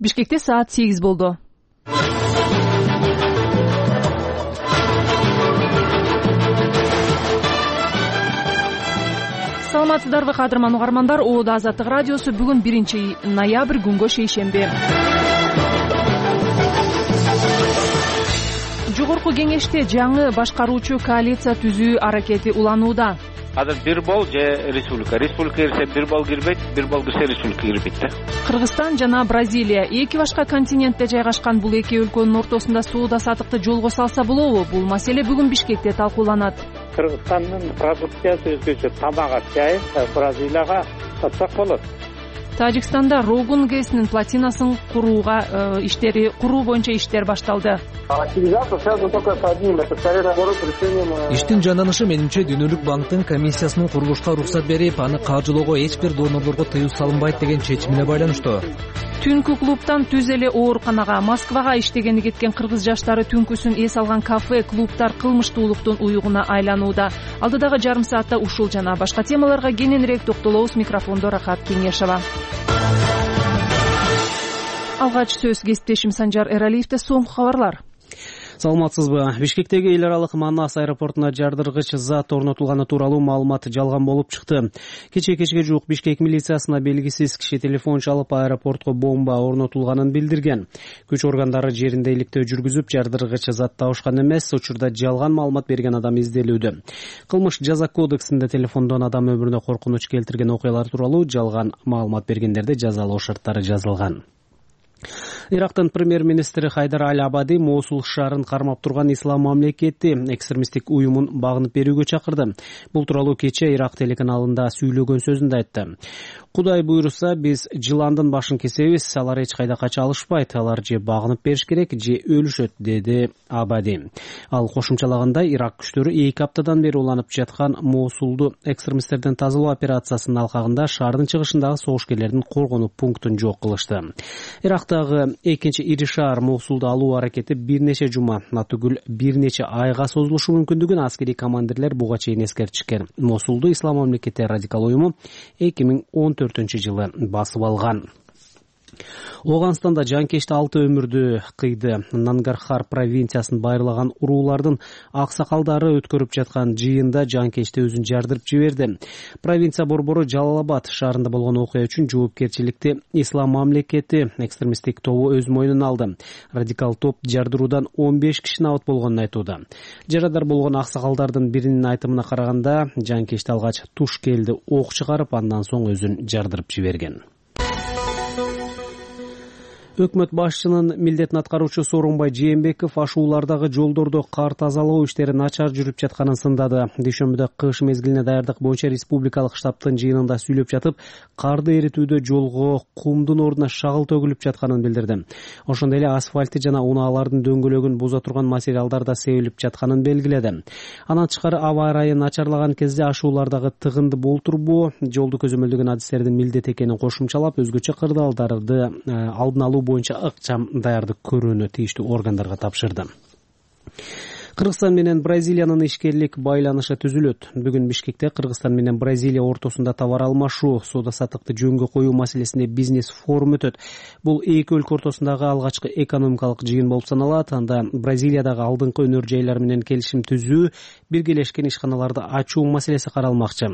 Бишкекте саат 8 болду. Саламатсыздарбы кадырман угармандар, Оода Азаттык радиосу бүгүн 1-ноябрь күнгө шейшемби. Жогорку кеңеште жаңы башкаруучу коалиция түзүү аракети уланууда. Азыр бир бол же республика кирсе бир бол кирбейт, бир бол кирсе республика кирбейт да. Кыргызстан жана Бразилия эки башка континентте жайгашкан бул эки өлкөнүн ортосунда соода саттыкты жолго салса болобу? Бул маселе бүгүн Бишкекте талкууланат. Кыргызстандын продукциясы өзгөчө, тамак чай Бразилияга сатсак болот. Тажикстанда Рогун ГЭСинин плотинасын куруу боюнча иштер башталды. Иштин жанданышы менимче Дүйнөлүк банктын комиссиясынын курулушка уруксат берип, аны каржылоого эч бир донорлорго тыюу салынбайт деген чечимине байланыштуу. Түнкү клубтан түз эле ооруканага, Москвага иштегени кеткен кыргыз жаштары түнкүсүн эс алган кафе, клубтар кылмыштуулуктун уюгуна айланууда. Алдыдагы жарым саатта ушул жана башка темаларга кененирээк токтолобуз. Микрофондо Рахат Кеңешова. Алгач сөз кесиптешим Санжар Эралиевде. Соңку кабарлар. Саламатсызбы? Бишкектеги эл аралык Манас аэропортуна жардыргыч зат орнотулганы тууралуу маалымат жалган болуп чыкты. Кечке жуук Бишкек милициясына белгисиз киши телефон чалып, аэропортко бомба орнотулганын билдирген. Күч органдары жеринде иликтөө жүргүзүп, жардыргыч зат табышкан эмес. Учурда жалган маалымат берген адам изделүүдө. Кылмыш жаза кодексинде телефондон адам өмүрүнө коркунуч келтирген окуялар тууралуу жалган маалымат бергендерди жазалоо шарттары жазылган. Ирактын премьер-министри Хайдар Аль-Абади Мосул шаарын кармап турган Ислам мамлекети экстремисттик уюмун багынып берүүгө чакырды. Бул тууралуу кечээ Ирак телеканалында сүйлөгөн сөзүндө айтты. Кудай буйруса, биз жыландын башын кесебиз, алар эч кайда кача алышпайт, алар же багынып бериш керек, же өлүшөт, деди Абади. Ал кошумчалагандай, Ирак күчтөрү 2 аптадан бери уланып жаткан Мосулду экстремисттерден тазалоо операциясынын алкагында шаардын чыгышындагы согушкерлердин коргонуу пунктун жок кылышты. Ирактагы экинчи ири шаар Мосулду алуу аракети бир нече жума, натүгүл бир нече айга созулушу мүмкүндүгүн аскерий командирлер буга чейин эскертишкен. Мосулду Ислам мамлекети радикал уюму 2014-жылы басып алган. Оганстанда жанкечти 6 өмүрдү кыйды. Нангархар провинциясын байырлаган уруулардын аксакалдары өткөрүп жаткан жыйында жанкечти өзүн жардырып жиберди. Провинция борбору Жалалабад шаарында болгон окуя үчүн жоопкерчиликти Ислам мамлекети экстремисттик тобу өз мойнуна алды. Радикал топ жардыруудан 15 киши абат болгонун айтууда. Жарадар болгон аксакалдардын биринин айтымына караганда, жанкечти алгач туш келди ок чыгарып, андан соң өзүн жардырып жиберген. Өкмөт башчынын милдетин аткаруучу Сооронбай Жээнбеков ашуулардагы жолдордо кар тазалоо иштери начар жүрүп жатканын сындады. Дүйшөмбүдө кыш мезгилине даярдык боюнча республикалык штабтын жыйынында сүйлөп жатып, карды эритүүдө жолго кумдун ордуна шагыл төгүлүп жатканын билдирди. Ошондой эле асфальтты жана унаалардын дөңгөлөгүн буза турган материалдар да себилип жатканын белгиледи. Андан тышкары аба ырайы начарлаган кезде ашуулардагы тыгынды болтурбоо, жолду көзөмөлдөгөн адистердин милдети экенин кошумчалап, өзгөчө кырдаалдарды алдын алуу боюнча ыкчам даярдык көрүүнү тийиштүү органдарга тапшырды. Кыргызстан менен Бразилиянын ишкерлик байланышы түзүлөт. Бүгүн Бишкекте Кыргызстан менен Бразилия ортосунда товар алмашуу, соода саттыкты жөнгө коюу маселесинде бизнес форум өтөт. Бул эки өлкө ортосундагы алгачкы экономикалык жыйын болуп саналат. Анда Бразилиядагы алдыңкы өнөр жайлар менен келишим түзүү, биргелешкен ишканаларды ачуу маселеси каралмакчы.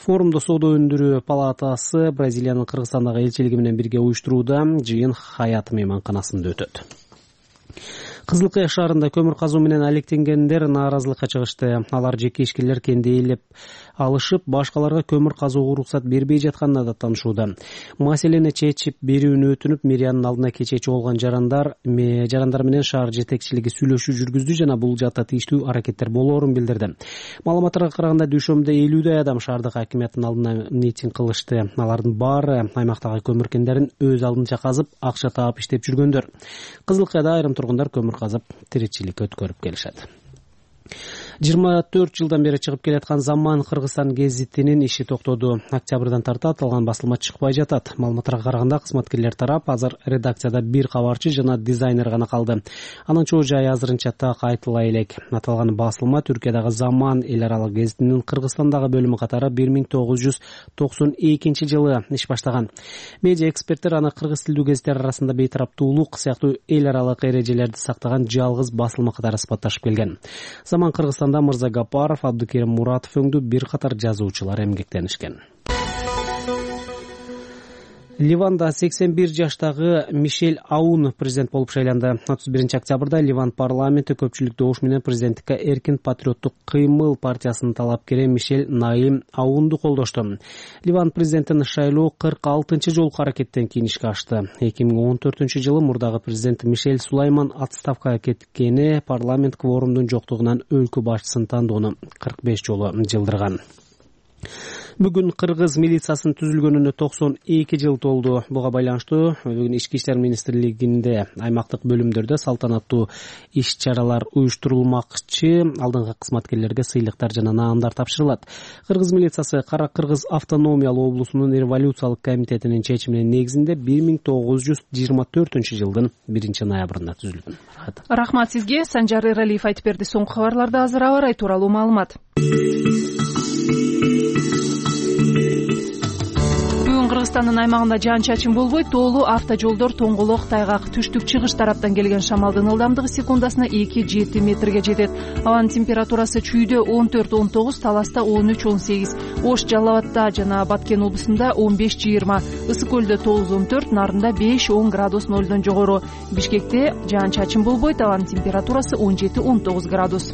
Форумду Соода өндүрүү палатасы Бразилиянын Кыргызстандагы элчилиги менен бирге уюштурууда. Жыйын Хаят мейманканасында өтөт. Кызылкая шаарында көмүр казуу менен алектенгендер нааразылыкка чыгышты. Алар жеке ишкерлер кендейлеп алышып, башкаларга көмүр казууга уруксат бербей жатканына да таанышууда. Маселени чечип берүүнү өтүнүп, мэриянын алдына кечечи болгон жарандар менен шаар жетекчилиги сүйлөшүү жүргүздү жана бул жакта тийиштүү аракеттер болоорун билдирди. Маалыматтарга караганда, дүйшөмбүдө 50 адам шаардык акимияттын алдына митинг кылышты. Алардын баары аймактагы көмүр кендерин өз алдынча казып, акча таап иштеп жүргөндөр. Кызылкаяда айрым тургундар көмүр казып, тиричилик өткөрүп келишет. 24 жылдан бери чыгып келаткан Заман Кыргызстан гезитинин иши токтоду. Октябрдан тарта аталган басылма чыкпай жатат. Маалыматтарга караганда кызматкерлер тарап азыр редакцияда бир кабарчы жана дизайнер гана калды. Анын чоо жайы азырынча так айтыла элек. Аталган басылма Түркиядагы Заман эл аралык гезитинин Кыргызстандагы бөлүмү катары 1992 жылы иш баштаган. Медиа эксперттер аны кыргыз тилдүү гезиттер арасында бейтараптуулук сыяктуу эл аралык эрежелерди сактаган жалгыз басылма катары сыпатташып келген. Заман Кыргызстанда Мырза Гапаров, Абдыкерим Муратов өңдүү бир катар жазуучулар эмгектенишкен. Ливанда 81 жаштагы Мишель Аун президент болуп шайланды. 31 октябрда Ливан парламенти көпчүлүк добуш менен президенттикке Эркин патриоттук кыймыл партиясынын талапкери Мишель Наим Аунду колдошту. Ливан президентин шайлоо 46-чы жолку аракеттен кийин ишке ашты. 2014-жылы мурдагы президент Мишель Сулайман отставкага кеткени парламент кворумдун жоктугунан өлкө башчысын тандоону 45 жолу жылдырган. Бүгүн кыргыз милициясынын түзүлгөнүнө 92 жыл толду. Буга байланыштуу бүгүн Ички иштер министрлигинде аймактык бөлүмдөрдө салтанаттуу иш-чаралар уюштурулмакчы. Алдыңкы кызматкерлерге сыйлыктар жана наамдар тапшырылат. Кыргыз милициясы Кара Кыргыз автономиялуу облусунун революциялык комитетинин чечиминин негизинде 1924-жылдын 1-ноябрында түзүлгөн. Рахмат сизге. Санжар Эралиев айтып берди. Соңку кабарларда азыр аба ырайы тууралуу маалымат. Кыргызстандын аймагында жаан-чачын болбойт, тоолуу автожолдор тоңголок, тайгак. Түштүк-чыгыш тараптан келген шамалдын ылдамдыгы секундасына 2-7 метрге жетет. Абанын температурасы чүйдө 14-19, Таласта 13-18, Ош, Жалал Абадта жана Баткен облусунда 15-20, Ысык көлдө 9-14, Нарында 5-10 градус нолдон жогору. Бишкекте жаан-чачын болбойт, абанын температурасы 17-19 градус.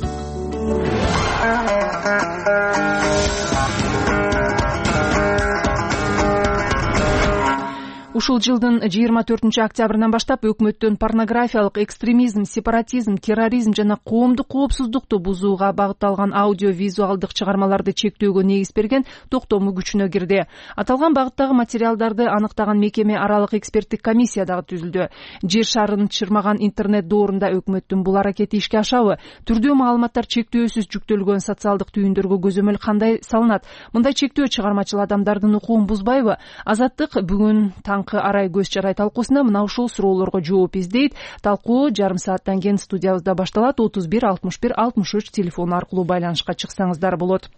Ушул жылдын 24 октябрынан баштап өкмөттөн порнографиялык, экстремизм, сепаратизм, терроризм жана коомдук коопсуздукту бузууга багытталган аудио-визуалдык чыгармаларды чектөөгө негиз берген токтому күчүнө кирди. Аталган багыттагы материалдарды аныктаган мекеме аралык эксперттик комиссия дагы түзүлдү. Жер шарын чырмаган интернет доорунда өкмөттүн бул аракети ишке ашабы? Түрдүү маалыматтар чектөөсүз жүктөлгөн социалдык түйүндөргө көзөмөл кандай салынат? Мындай чектөө чыгармачыл адамдардын укугун бузбайбы? Азаттык бүгүн арай көз чарай талкуусунда мына ушул суроолорго жооп издейт. Талкуу жарым сааттан кийин студиябызда башталат. 31 61 63 телефон аркылуу байланышка чыксаңыздар болот.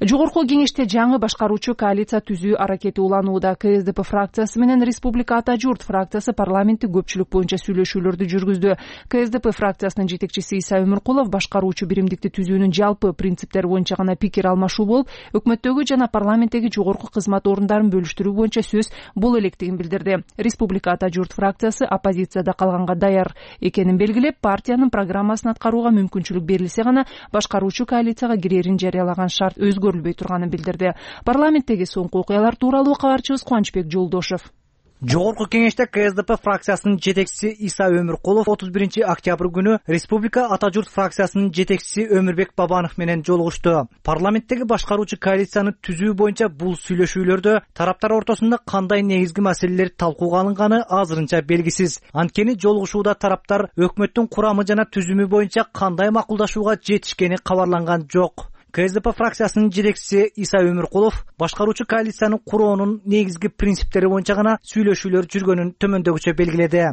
Жогорку кеңеште жаңы башкаруучу коалиция түзүү аракети уланууда. КСДП фракциясы менен Республика Ата журт фракциясы парламенттик көпчүлүк боюнча сүйлөшүүлөрдү жүргүздү. КСДП фракциясынын жетекчиси Иса Өмүркулов башкаруучу биримдикти түзүүнүн жалпы принциптери боюнча гана пикир алмашуу болуп, өкмөттөгү жана парламенттеги жогорку кызмат орундарын бөлүштүрүү боюнча сөз боло электигин билдирди. Республика Ата журт фракциясы оппозицияда калганга даяр экенин белгилеп, партиянын программасын аткарууга мүмкүнчүлүк берилсе гана башкаруучу коалицияга кирерин жарыялаган шарт өзгөрүлбөй турганын билдирди. Парламенттеги соңку окуялар тууралуу кабарчыбыз Кубанычбек Жолдошев. Жогорку кеңеште КСДП фракциясынын жетекчиси Иса Өмүркулов 31 октябрь күнү Республика Ата журт фракциясынын жетекчиси Өмүрбек Бабанов менен жолугушту. Парламенттеги башкаруучу коалицияны түзүү боюнча бул сүйлөшүүлөрдө тараптар ортосунда кандай негизги маселелер талкууга алынганы азырынча белгисиз. Анткени жолугушууда тараптар өкмөттүн курамы жана түзүмү боюнча кандай макулдашууга жетишкени кабарланган жок. КСДП фракциясынын жетекчиси Иса Өмүркулов башкаруучу коалициянын куроонун негизги принциптери боюнча гана сүйлөшүүлөр жүргөнүн төмөндөгүчө белгиледи.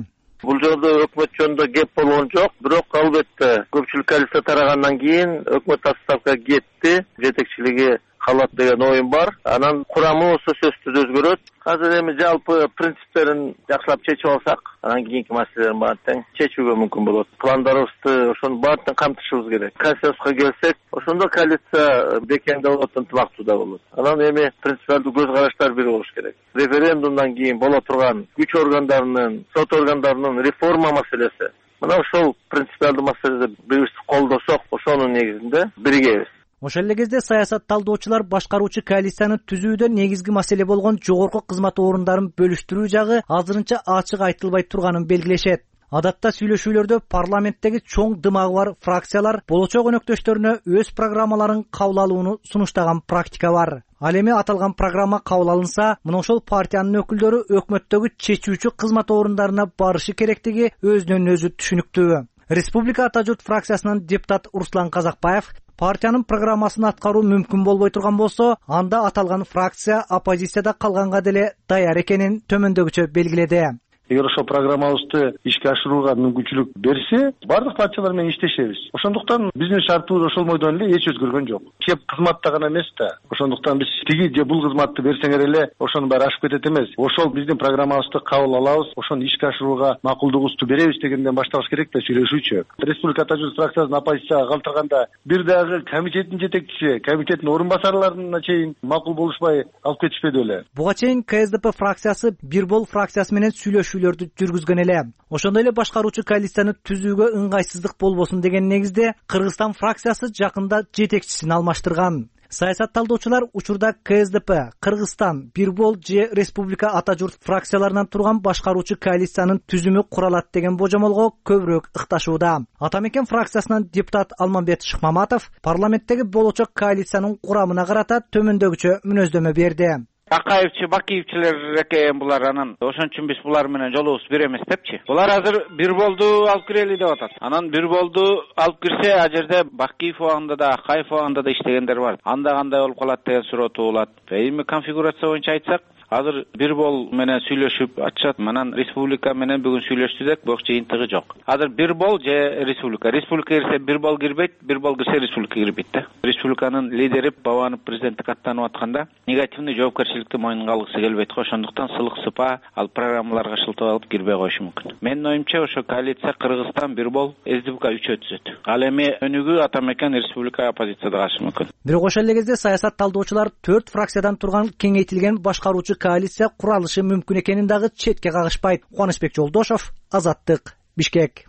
Бул жолдо өкмөт жөнүндө кеп болгон жок, бирок албетте көпчүлүк коалиция тарагандан кийин өкмөт отставкага кетти, жетекчилиги калат деген оюм бар. Анан курамы болсо сөзсүз өзгөрөт. Азыр эми жалпы принциптерин жакшылап чечип алсак, анан кийинки маселелерин баарын тең чечүүгө мүмкүн болот. Пландарыбызды ошонун баарын камтышыбыз керек. Консенсуска келсек, ошондо коалиция бекемдеп болот, ынтымактуу да болот. Анан эми принципиалдуу көз караштар бир болуш керек. Референдумдан кийин боло турган күч органдарынын, сот органдарынын реформа маселеси. Мына ошол принципиалдуу маселеде бирибизди колдосок, ошонун негизинде биригебиз. Ошол эле кезде саясат талдоочулар башкаруучу коалицияны түзүүдө негизги маселе болгон жогорку кызмат орундарын бөлүштүрүү жагы азырынча ачык айтылбай турганын белгилешет. Адатта сүйлөшүүлөрдө парламенттеги чоң дымагы бар фракциялар болочок өнөктөштөрүнө өз программаларын кабыл алууну сунуштаган практика бар. Ал эми аталган программа кабыл алынса, мына ошол партиянын өкүлдөрү өкмөттөгү чечүүчү кызмат орундарына барышы керектиги өзүнөн өзү түшүнүктүү. Республика Ата журт фракциясынын депутат Руслан Казакбаев партиянын программасын аткаруу мүмкүн болбой турган болсо, анда аталган фракция оппозицияда калганга деле даяр экенин төмөндөгүчө белгиледи. Эгер ошол программабызды ишке ашырууга мүмкүнчүлүк берсе, бардык партиялар менен иштешебиз. Ошондуктан биздин шартыбыз ошол бойдон эле эч өзгөргөн жок. Кеп кызматта гана эмес да. Ошондуктан биз тиги же бул кызматты берсеңер эле ошонун баары ашып кетет эмес. Ошол биздин программабызды кабыл алабыз, ошону ишке ашырууга макулдугубузду беребиз дегенден башталыш керек да сүйлөшүүчү. Республика Ата журт фракциясын оппозицияга калтырганда бир дагы комитеттин жетекчиси, комитеттин орун басарларына чейин макул болушпай алып кетишпеди беле. Буга чейин КСДП фракциясы Бир бол фракциясы менен сүйлөшүүлөрдү жүргүзгөн эле. Ошондой эле башкаруучу коалицияны түзүүгө ыңгайсыздык болбосун деген негизде Кыргызстан фракциясы жакында жетекчисин алмаштырган. Саясат талдоочулар учурда КСДП, Кыргызстан, Бир бол же Республика Ата журт фракцияларынан турган башкаруучу коалициянын түзүмү куралат деген божомолго көбүрөөк ыкташууда. Ата мекен фракциясынан депутат Алмамбет Шыкмаматов парламенттеги болочок коалициянын курамына карата төмөндөгүчө мүнөздөмө берди. Акаевчи, Бакиевчилер экен булар, анан ошон үчүн биз булар менен жолубуз бир эмес депчи. Булар азыр Бир болду алып кирели деп атат. Анан Бир болду алып кирсе, а жерде Бакиев убагында да, Акаев убагында да иштегендер бар. Анда кандай болуп калат деген суроо туулат. Эми конфигурация боюнча айтсак, азыр Бир бол менен сүйлөшүп атышат. Анан республика менен бүгүн сүйлөштүк, бирок жыйынтыгы жок. Азыр Бир бол же республика. Республика кирсе Бир бол кирбейт, Бир бол кирсе республика кирбейт да. Республиканын лидери Бабанов президенттикке аттанып атканда негативный жоопкерчиликти мойнуна алгысы келбейт го. Ошондуктан сылык сыпа ал программаларга шылтап алып кирбей коюшу мүмкүн. Менин оюмча ошо коалиция Кыргызстан, Бир бол, СДПК 3 түзөт. Ал эми өнүгүү Ата мекен республика оппозицияда калышы мүмкүн. Бирок ошол эле кезде саясат талдоочулар 4 фракциядан турган кеңейтилген башкаруучу коалиция куралышы мүмкүн экенин дагы четке кагышпайт. Кубанычбек Жолдошов, Азаттык, Бишкек.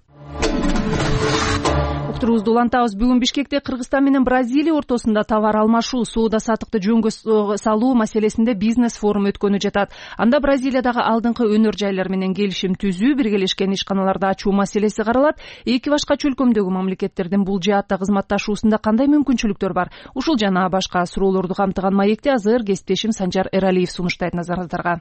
Уктурубузду улантабыз. Бүгүн Бишкекте Кыргызстан менен Бразилия ортосунда товар алмашуу, соода саттыкты жөнгө салуу маселесинде бизнес форум өткөнү жатат. Анда Бразилиядагы алдыңкы өнөр жайлар менен келишим түзүү, биргелешкен ишканаларды ачуу маселеси каралат. Эки башка чөлкөмдөгү мамлекеттердин бул жаатта кызматташуусунда кандай мүмкүнчүлүктөр бар? Ушул жана башка суроолорду камтыган маекти азыр кесиптешим Санжар Эралиев сунуштайт назарыңыздарга.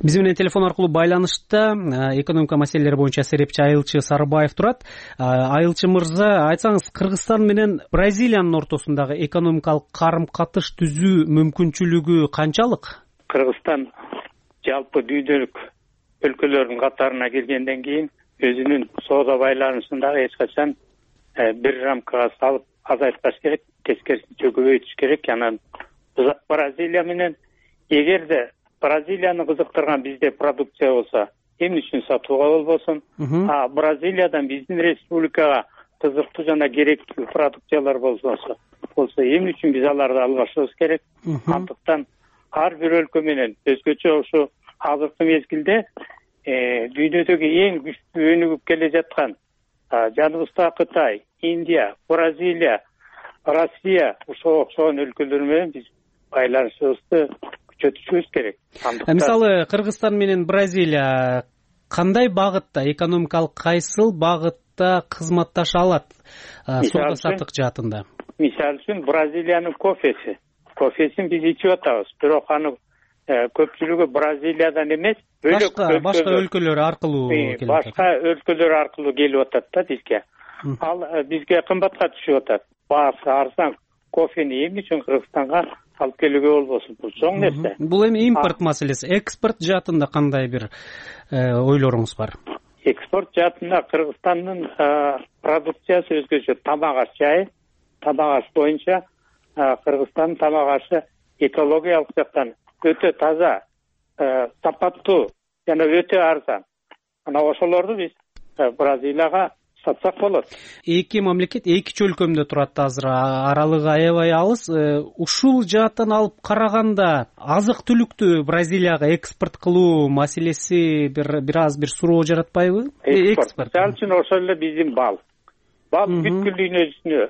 Биз менен телефон аркылуу байланышта экономика маселелери боюнча серепчи Айылчы Сарыбаев турат. Айылчы мырза, айтсаңыз, Кыргызстан менен Бразилиянын ортосундагы экономикалык карым-катыш түзүү мүмкүнчүлүгү канчалык? Кыргызстан жалпы дүйнөлүк өлкөлөрдүн катарына киргенден кийин өзүнүн соода байланышын дагы эч качан бир рамкага салып азайтпаш керек, тескерисинче көбөйтүш керек. Анан Бразилия менен эгерде Бразилияны кызыктырган бизде продукция болсо, эмне үчүн сатууга болбосун? Бразилиядан биздин республикага кызыктуу жана керектүү продукциялар болсо, эмне үчүн биз аларды алмашыбыз керек? Андыктан ар бир өлкө менен өзгөчө ушу азыркы мезгилде дүйнөдөгү эң күчтүү өнүгүп келе жаткан Жанубуздагы Кытай, Индия, Бразилия, Россия ошого окшогон өлкөлөр менен биз байланышыбызды күчөтүшүбүз керек. Мисалы, Кыргызстан менен Бразилия кандай багытта, экономикалык кайсыл багытта кызматташа алат соода саттык жаатында? Мисалы үчүн Бразилиянын кофесин биз ичип атабыз, бирок аны көпчүлүгү Бразилиядан эмес, башка өлкөлөр аркылуу келип атат. Башка өлкөлөр аркылуу келип атат да бизге. Ал бизге кымбатка түшүп атат. Баасы арзан кофени эмне үчүн Кыргызстанга алып келүүгө болбосун? Бул чоң нерсе. Бул эми импорт маселеси. Экспорт жаатында кандай бир ойлоруңуз бар? Экспорт жаатында Кыргызстандын продукциясы өзгөчө. Тамак аш жайы, тамак аш боюнча Кыргызстандын тамак ашы экологиялык жактан өтө таза, сапаттуу жана өтө арзан. Ана ошолорду биз Бразилияга сатсак болот. Эки мамлекет эки чөлкөмдө турат азыр, аралыгы аябай алыс. Ушул жааттан алып караганда азык-түлүктү Бразилияга экспорт кылуу маселеси бир аз бир суроо жаратпайбы? Экспорт. Ал үчүн ошол эле биздин бал бүткүл дүйнөсүнө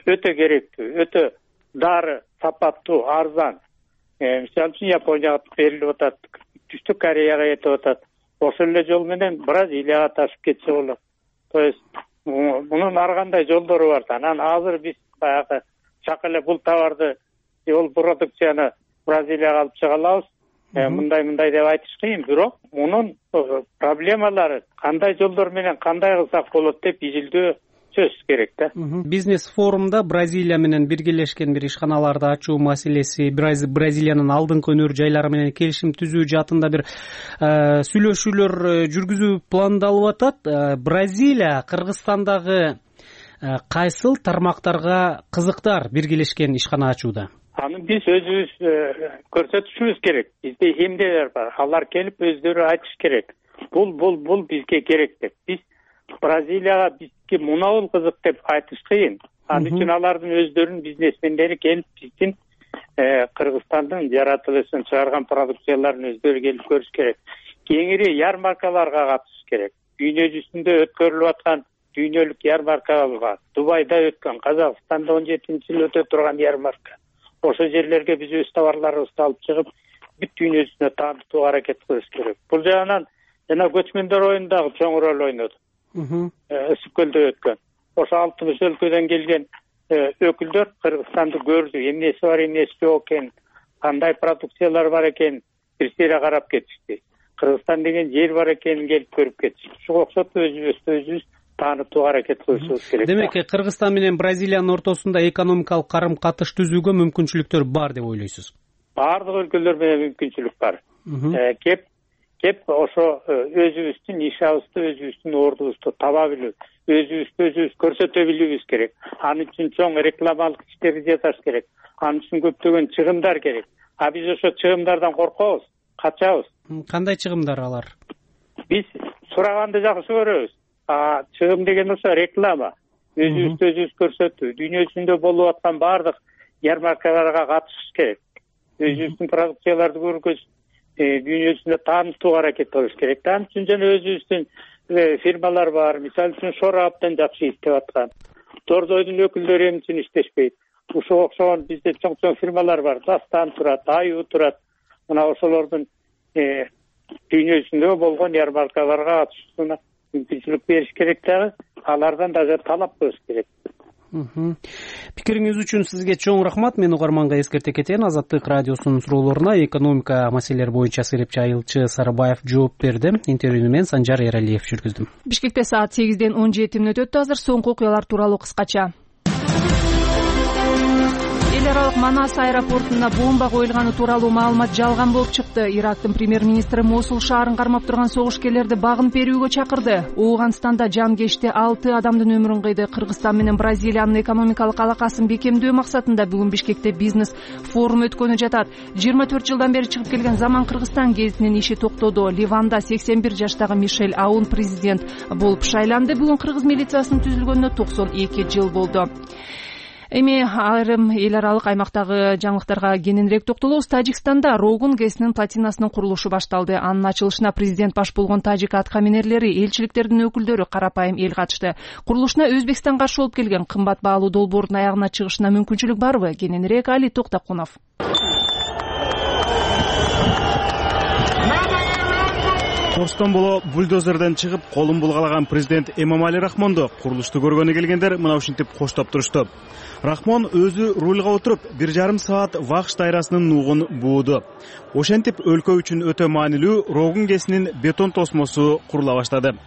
өтө керектүү, өтө дары, сапаттуу, арзан. Мисалы үчүн Японияга берилип атат, Түштүк Кореяга кетип атат. Ошол эле жол менен Бразилияга ташып кетсе болот. То есть мунун ар кандай жолдору бар. Анан азыр биз баягы чак эле бул товарды, бул продукцияны Бразилияга алып чыга алабыз. Мындай деп айтыш кыйын, бирок мунун проблемалары кандай жолдор менен кандай кылсак болот деп изилдөө сөзсүз керек да. Бизнес форумда Бразилия менен биргелешкен бир ишканаларды ачуу маселеси, Бразилиянын алдыңкы өнөр жайлары менен келишим түзүү жаатында бир сүйлөшүүлөр жүргүзүү пландалып атат. Бразилия Кыргызстандагы кайсыл тармактарга кызыктар биргелешкен ишкана ачууда? Аны биз өзүбүз көрсөтүшүбүз керек. Бизде эмнелер бар? Алар келип өздөрү айтыш керек. Бул бизге керек деп. Биз Бразилияга бизге мунабул кызык деп айтыш кыйын. Ал үчүн алардын өздөрүнүн бизнесмендери келип биздин Кыргызстандын жаратылышын чыгарган продукцияларын өздөрү келип көрүш керек. Кеңири ярмаркаларга катышыш керек. Дүйнө жүзүндө өткөрүлүп аткан дүйнөлүк ярмаркалар бар. Дубайда өткөн, Казакстанда 17-жыл өтө турган ярмарка. Ошо жерлерге биз өз товарларыбызды алып чыгып, бүт дүйнө жүзүнө таанытууга аракет кылыш керек. Бул жагынан жана көчмөндөр оюндагы чоң роль ойноду. Ысык көлдө өткөн. Ошо 60 өлкөдөн келген өкүлдөр Кыргызстанды көрдү, эмнеси бар, эмнеси жок экен, кандай продукциялар бар экен, бир сыйра карап кетишти. Кыргызстан деген жер бар экенин келип көрүп кетишти. Ушуга окшоп өзүбүз таанытууга аракет кылышыбыз керек. Демек, Кыргызстан менен Бразилиянын ортосунда экономикалык карым-катыш түзүүгө мүмкүнчүлүктөр бар деп ойлойсуз? Бардык өлкөлөр менен мүмкүнчүлүк бар. Кеп ошо өзүбүздүн ишабызды, өзүбүздүн ордубузду таба билүү, өзүбүз көрсөтө билүүбүз керек. Анын үчүн чоң рекламалык иштерди жасаш керек. Анын үчүн көптөгөн чыгымдар керек. А биз ошо чыгымдардан коркобуз, качабыз. Кандай чыгымдар алар? Биз сураганды жакшы көрөбүз. Чыгым деген ошо реклама, өзүбүздү көрсөтүү, дүйнө жүзүндө болуп аткан бардык ярмаркаларга катышыш керек. Өзүбүздүн продукцияларды көргөз, дүйнө жүзүндө таанытууга аракет кылыш керек. Анын үчүн жана өзүбүздүн фирмалар бар. Мисалы үчүн Шора абдан жакшы иштеп аткан. Дордойдун өкүлдөрү эмне үчүн иштешпейт? Ушуга окшогон бизде чоң фирмалар бар. Дастан турат, Аю турат. Мына ошолордун дүйнө жүзүндө болгон ярмаркаларга катышууна мүмкүнчүлүк бериш керек дагы, алардан дагы талап кылыш керек. Пикириңиз үчүн сизге чоң рахмат. Мен угарманга эскерте кетейин. Азаттык радиосунун суроолоруна экономика маселелери боюнча серепчи Айылчы Сарыбаев жооп берди. Интервьюну мен Санжар Эралиев жүргүздүм. Бишкекте саат 8:17 өттү. Азыр соңку окуялар тууралуу кыскача. Эл аралык Манас аэропортуна бомба коюлганы тууралуу маалымат жалган болуп чыкты. Ирактын премьер-министри Мосул шаарын кармап турган согушкерлерди багынып берүүгө чакырды. Ооганстанда жан кечти 6 адамдын өмүрүн кыйды. Кыргызстан менен Бразилиянын экономикалык алакасын бекемдөө максатында бүгүн Бишкекте бизнес форум өткөнү жатат. 24 жылдан бери чыгып келген Заман Кыргызстан гезитинин иши токтоду. Ливанда 81 жаштагы Мишель Аун президент болуп шайланды. Бүгүн кыргыз милициясынын түзүлгөнүнө 92 жыл болду. Эми айрым эл аралык аймактагы жаңылыктарга кененирээк токтолобуз. Тажикстанда Рогун ГЭСинин плотинасынын курулушу башталды. Анын ачылышына президент баш болгон тажик аткаминерлери, элчиликтердин өкүлдөрү, карапайым эл катышты. Курулушуна Өзбекстан каршы болуп келген кымбат баалуу долбоордун аягына чыгышына мүмкүнчүлүк барбы? Кененирээк Али Токтокунов. Орстон боло бульдозерден чыгып, колун булгалаган президент Эмомали Рахмонду курулушту көргөнү келгендер мына ушинтип коштоп турушту. Рахмон өзү рульга отуруп 1,5 саат вакш дайрасынын нугун бууду. Ошентип өлкө үчүн өтө маанилүү Рогун ГЭСинин бетон тосмосу курула баштады.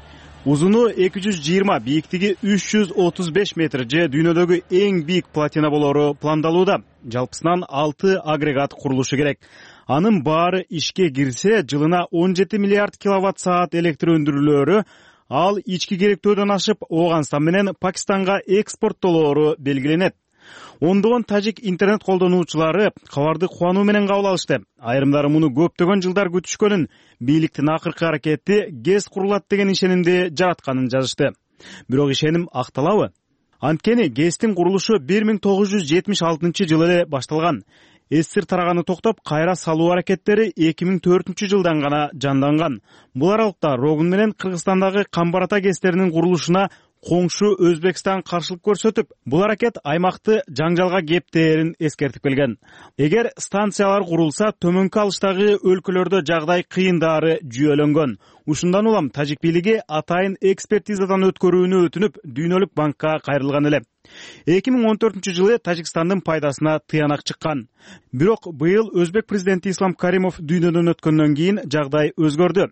Узуну 220, бийиктиги 335 метр же дүйнөдөгү эң бийик плотина болору пландалууда. Жалпысынан 6 агрегат курулушу керек. Анын баары ишке кирсе, жылына 17 миллиард киловатт саат электр өндүрүлөөрү, ал ички керектөөдөн ашып, Ооганстан менен Пакистанга экспорттолоору белгиленет. Ондогон тажик интернет колдонуучулары кабарды кубануу менен кабыл алышты. Айрымдары муну көптөгөн жылдар күтүшкөнүн, бийликтин акыркы аракети ГЭС курулат деген ишенимди жаратканын жазышты. Бирок ишеним акталабы? Анткени ГЭСтин курулушу 1976 жылы эле башталган. СССР тараганы токтоп, кайра салуу аракеттери 2004 жылдан гана жанданган. Бул аралыкта Рогун менен Кыргызстандагы Камбарата ГЭСтеринин курулушуна коңшу Өзбекстан каршылык көрсөтүп, бул аракет аймакты жаңжалга кептээрин эскертип келген. Эгер станциялар курулса, төмөнкү алыштагы өлкөлөрдө жагдай кыйындары жүйөлөнгөн. Ушундан улам тажик бийлиги атайын экспертизадан өткөрүүнү өтүнүп, Дүйнөлүк банкка кайрылган эле. 2014-жылы Тажикстандын пайдасына тыянак чыккан. Бирок быйыл өзбек президенти Ислам Каримов дүйнөдөн өткөндөн кийин жагдай өзгөрдү.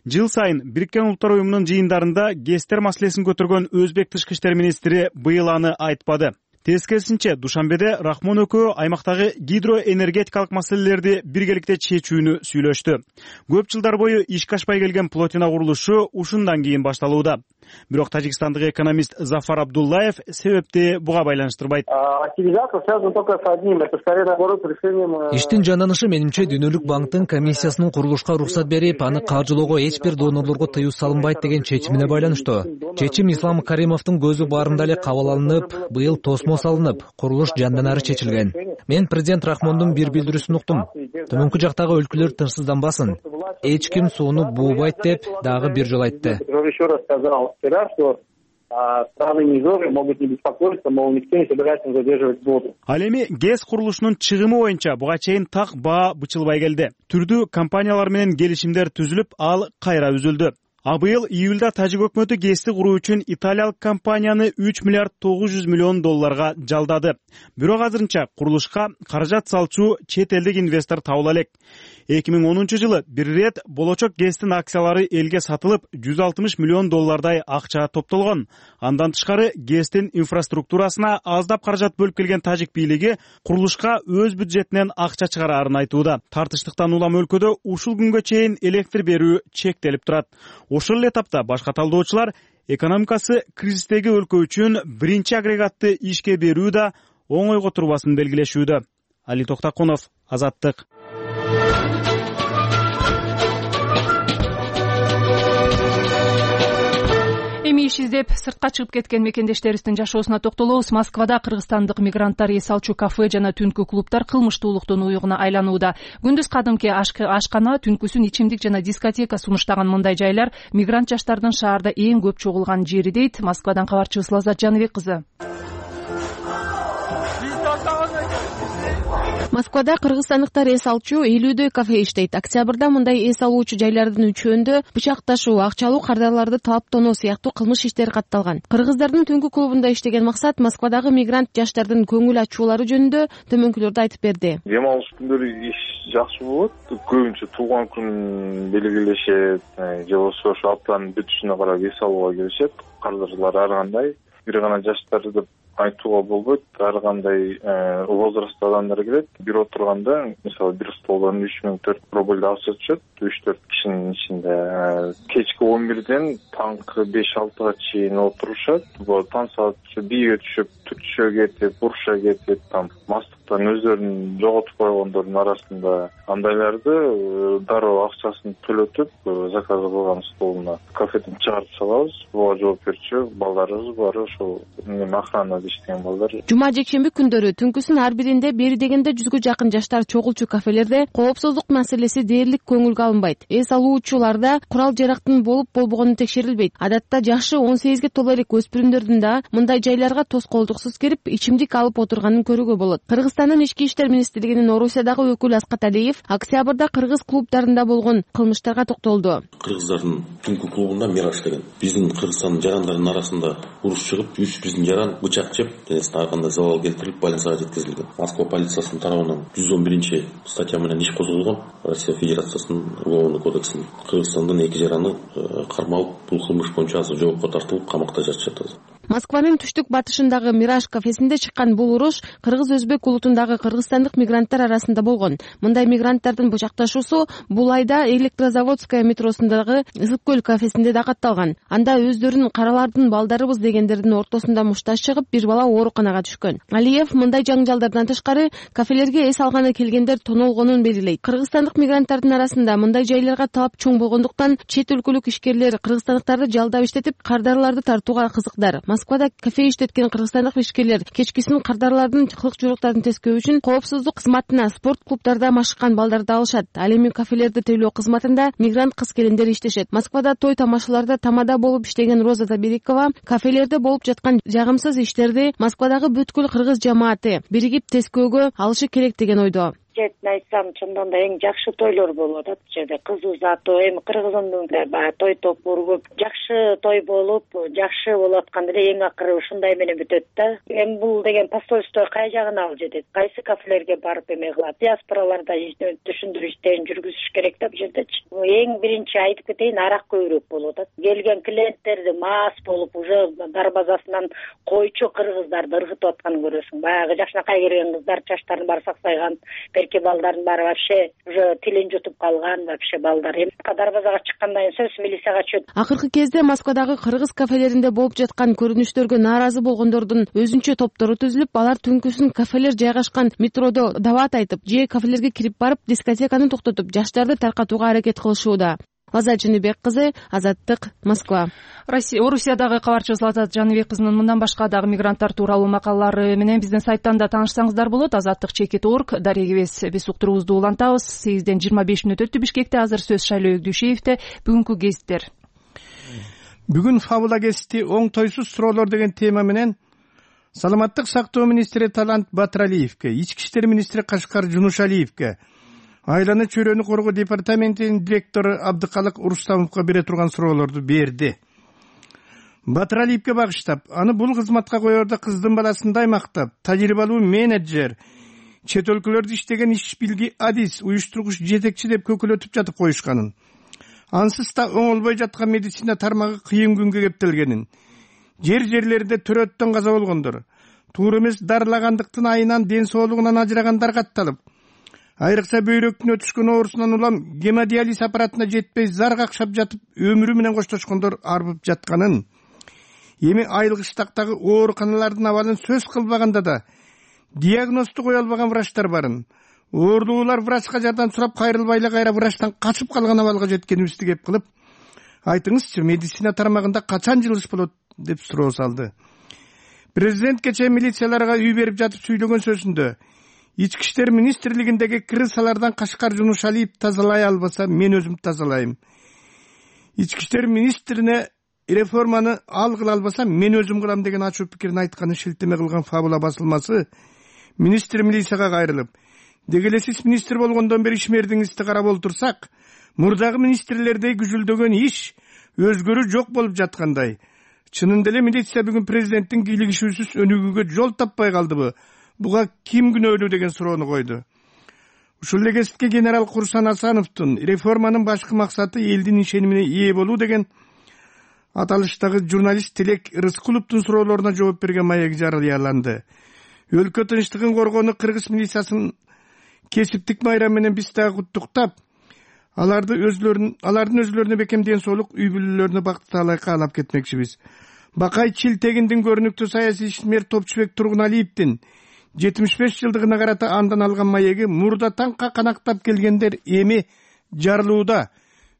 Жыл сайын Бириккен Улуттар уюмунун жыйындарында ГЭСтер маселесин көтөргөн өзбек тышкы иштер министри быйыл аны айтпады. Тескерисинче, Душанбеде Рахмон экөө аймактагы гидроэнергетикалык маселелерди биргеликте чечүүнү сүйлөштү. Көп жылдар бою ишке ашпай келген плотина курулушу ушундан кийин башталууда. Бирок тажикстандык экономист Зафар Абдуллаев себепти буга байланыштырбайт. Иштин жанданышы менимче Дүйнөлүк банктын комиссиясынын курулушка уруксат берип, аны каржылоого эч бир донорлорго тыюу салынбайт деген чечимине байланыштуу. Чечим Ислам Каримовдун көзү баарында эле кабыл алынып, быйыл тосмо салынып, курулуш жандан ары чечилген. Мен президент Рахмондун бир билдирүүсүн уктум. Төмөнкү жактагы өлкөлөр тынчсызданбасын. Эч ким сууну буубайт деп дагы бир жолу айтты. Ал эми ГЭС курулушунун чыгымы боюнча буга чейин так баа бычылбай келди. Түрдүү компаниялар менен келишимдер түзүлүп, ал кайра үзүлдү. А быйыл июлда тажик өкмөтү ГЭСти куруу үчүн италиялык компанияны 3 миллиард 900 миллион долларга жалдады. Бирок азырынча курулушка каражат салчу чет элдик инвестор табыла элек. 2010-жылы бир ирет болочок ГЭСтин акциялары элге сатылып, 160 миллион доллардай акча топтолгон. Андан тышкары ГЭСтин инфраструктурасына аздап каражат бөлүп келген тажик бийлиги курулушка өз бюджетинен акча чыгараарын айтууда. Тартыштыктан улам өлкөдө ушул күнгө чейин электр берүү чектелип турат. Ошол эле этапта башка талдоочулар экономикасы кризистеги өлкө үчүн биринчи агрегатты ишке берүү да оңойго турбасын белгилешүүдө. Али Токтакунов, Азаттык. Эми иш издеп сыртка чыгып кеткен мекендештерибиздин жашоосуна токтолобуз. Москвада кыргызстандык мигранттар эс алчу кафе жана түнкү клубдар кылмыштуулуктун уюгуна айланууда. Күндүз кадимки ашкана, түнкүсүн ичимдик жана дискотека сунуштаган мындай жайлар мигрант жаштардын шаарда эң көп чогулган жери дейт Москвадан кабарчыбыз Лаззат Жаныбек кызы. Москвада кыргызстандыктар эс алчу 50дөй кафе иштейт. Октябрда мындай эс алуучу жайлардын үчөөндө бычакташуу, акчалуу кардарларды талаптонуу сыяктуу кылмыш иштери катталган. Кыргыздардын түнкү клубунда иштеген максат Москвадагы мигрант жаштардын көңүл ачуулары жөнүндө төмөнкүлөрдү айтып берди. Дем алыш күндөрү иш жакшы болот. Көбүнчө туулган күн белгилешет, же болбосо ошо аптанын бүтүшүнө карап эс алууга келишет. Кардарлар ар кандай, бир гана жаштар деп айтууга болбойт. Ар кандай возрастта адамдар келет. Бир отурганда, мисалы, бир столдон 3004 рубль акча түшөт, 3-4 кишинин ичинде. Кечки 11ден таңкы 5-6га чейин отурушат. Таң саат бийге түшүп, түтүшө кетип, буруша кетип, там мастыктан өздөрүн жоготуп койгондордун арасында андайларды дароо акчасын төлөтүп, заказ кылган столуна кафеден чыгарып салабыз. Буга жооп берчү балдарыбыз бар, ошол охрана иштеген балдар. Жума жекшемби күндөрү түнкүсүн ар биринде бери дегенде 100гө жакын жаштар чогулчу кафелерде коопсуздук маселеси дээрлик көңүлгө алынбайт. Эс алуучуларда курал жарактын болуп болбогону текшерилбейт. Адатта жашы 18ге толо элек өспүрүмдөрдүн да мындай жайларга тоскоолдуксуз кирип, ичимдик алып отурганын көрүүгө болот. Кыргызстандын ички иштер министрлигинин Орусиядагы өкүлү Аскат Алиев октябрда кыргыз клубдарында болгон кылмыштарга токтолду. Кыргыздардын түнкү клубунда Мираж деген биздин Кыргызстандын жарандарынын арасында уруш чыгып, 3 биздин жаран бычак жеп, денесине ар кандай залал келтирип, больницага жеткизилген. Москва полициясынын тарабынан 111 статья менен иш козголгон. Россия Федерациясынын уголовный кодексинин Кыргызстандын 2 жараны кармалып, бул кылмыш боюнча азыр жоопко тартылып, камакта жатышат азыр. Москванын түштүк батышындагы Мираж кафесинде чыккан бул уруш кыргыз-өзбек улутундагы кыргызстандык мигранттар арасында болгон. Мындай мигранттардын бычакташуусу бул айда Электрозаводская метросундагы Ысык көл кафесинде да катталган. Анда өздөрүн каралардын балдарыбыз дегендердин ортосунда мушташ чыгып, бир бала ооруканага түшкөн. Алиев мындай жаңжалдардан тышкары кафелерге эс алганы келгендер тонолгонун белгилейт. Кыргызстандык мигранттардын арасында мындай жайларга талап чоң болгондуктан чет өлкөлүк ишкерлер кыргызстандыктарды жалдап иштетип, кардарларды тартууга кызыктар. Москвада кафе иштеткен кыргызстандык ишкерлер кечкисин кардарлардын кылык-журактарын тескөө үчүн коопсуздук кызматына спорт клубдарда машыккан балдарды алышат. Ал эми кафелерди тейлөө кызматында мигрант кыз-келиндер иштешет. Москвада той тамашаларда тамада болуп иштеген Роза Таберикова кафелерде болуп жаткан жагымсыз иштерди Москвадагы бүткүл кыргыз жамааты биригип тескөөгө алышы керек деген ойдо. жептин айтсам, чындыгында эң жакшы тойлор болуп атат бул жерде. Кыз узатуу, эми Кыргыздын баягы той топур көп, жакшы той болуп, жакшы болуп атканда эле эң акыры ушундай менен бүтөт да. Эми бул деген посольство кай жагына алып жетет? Кайсы кафелерге барып эме кылат? Диаспораларда түшүндүрүү иштерин жүргүзүш керек да бул жердечи. Эң биринчи айтып кетейин, арак көбүрөөк болуп атат. Келген клиенттерди мас болуп уже дарбазасынан койчу кыргыздарды ыргытып атканын көрөсүң. Баягы жакшынакай келген кыздар чачтарын баары саксайган, берки балдардын баары вообще уже тилин жутуп калган вообще балдар. Эми дарбазага чыккандан кийин сөз милицияга чөт. Акыркы кезде Москвадагы кыргыз кафелеринде болуп жаткан көрүнүштөргө нааразы болгондордун өзүнчө топтору түзүлүп, алар түнкүсүн кафелер жайгашкан метродо дават айтып, же кафелерге кирип барып дискотеканы токтотуп, жаштарды таркатууга аракет кылышууда. Азат Жаныбек кызы, Азаттык, Москва. Орусиядагы кабарчы Злата Жаныбек кызынын мындан башка дагы мигранттар тууралуу макалалары менен биздин сайттан да таанышсаңыздар болот. Азаттык.org. Дарегибез биз уктуруубузду улантабыз. 8-ден 25 мүнөт өттү Бишкекте. Азыр сөз Шайлоо Өгдүшевде. Бүгүнкү кесиптер. Бүгүн фабула кести оң тойсуз суроолор деген тема менен Саламаттык сактоо министри Талант Батыралиевке, Ички иштер министри Кашкар Жунушалиевке, Айланы чөйрөнү коргоо департаментинин директору Абдыкалык Урустамовго бере турган суроолорду берди. Батыралиевке багыштап, аны бул кызматка коерде кыздын баласындай мактап, тажрыйбалуу менеджер, чет өлкөлөрдө иштеген иш билги адис, уюштургуч жетекчи деп көкөлөтүп жатып коюшканын, ансыз да оңолбой жаткан медицина тармагы кыйын күнгө кептелгенин, жерлеринде төрөттөн каза болгондор, туура эмес дарылагандыктын айынан ден соолугунан ажырагандар катталып, айрыкча бөйрөктүн өтүшкөн оорусунан улам гемодиализ аппаратына жетпей зар какшап жатып өмүрү менен коштошкондор арбып жатканын, эми айылгыштактагы ооруканалардын абалын сөз кылбаганда да диагнозду кое албаган врачтар барын, оорулуулар врачка жардам сурап кайрылбай эле кайра врачтан качып калган абалга жеткенибизди кеп кылып, айтыңызчы, медицина тармагында качан жылыш болот деп суроо салды. Президент кечээ милицияларга үй берип жатып сүйлөгөн сөзүндө Ички иштер министрлигиндеги крысалардан Кашкар Жунушалиев тазалай албаса, мен өзүм тазалайм. Ички иштер министрине реформаны ал кыла албаса, мен өзүм кылам деген ачуу пикирин айтканы шилтеме кылган фабула басылмасы министр милицияга кайрылып, деги эле сиз министр болгондон бери ишмердиңизди карап олтурсак, мурдагы министрлердей күжүлдөгөн иш өзгөрүү жок болуп жаткандай. Чынында эле милиция бүгүн президенттин кийлигишүүсүз өнүгүүгө жол таппай калдыбы? Буга ким күнөөлүү деген суроону койду. Ушул эле кесипке генерал Курсан Асановдун реформанын башкы максаты элдин ишенимине ээ болуу деген аталыштагы журналист Тилек Рыскуловдун суроолоруна жооп берген маеги жарыяланды. Өлкө тынчтыгын коргоону кыргыз милициясын кесиптик майрам менен биз дагы куттуктап, алардын өзүлөрүнө бекем ден соолук, үй бүлөлөрүнө бакыт таалай каалап кетмекчибиз. Бакай Чилтегиндин көрүнүктүү саясий ишмер Топчубек Тургуналиевдин 75 жылдыгына карата андан алган маеги мурдатан канактап келгендер эми жарылууда,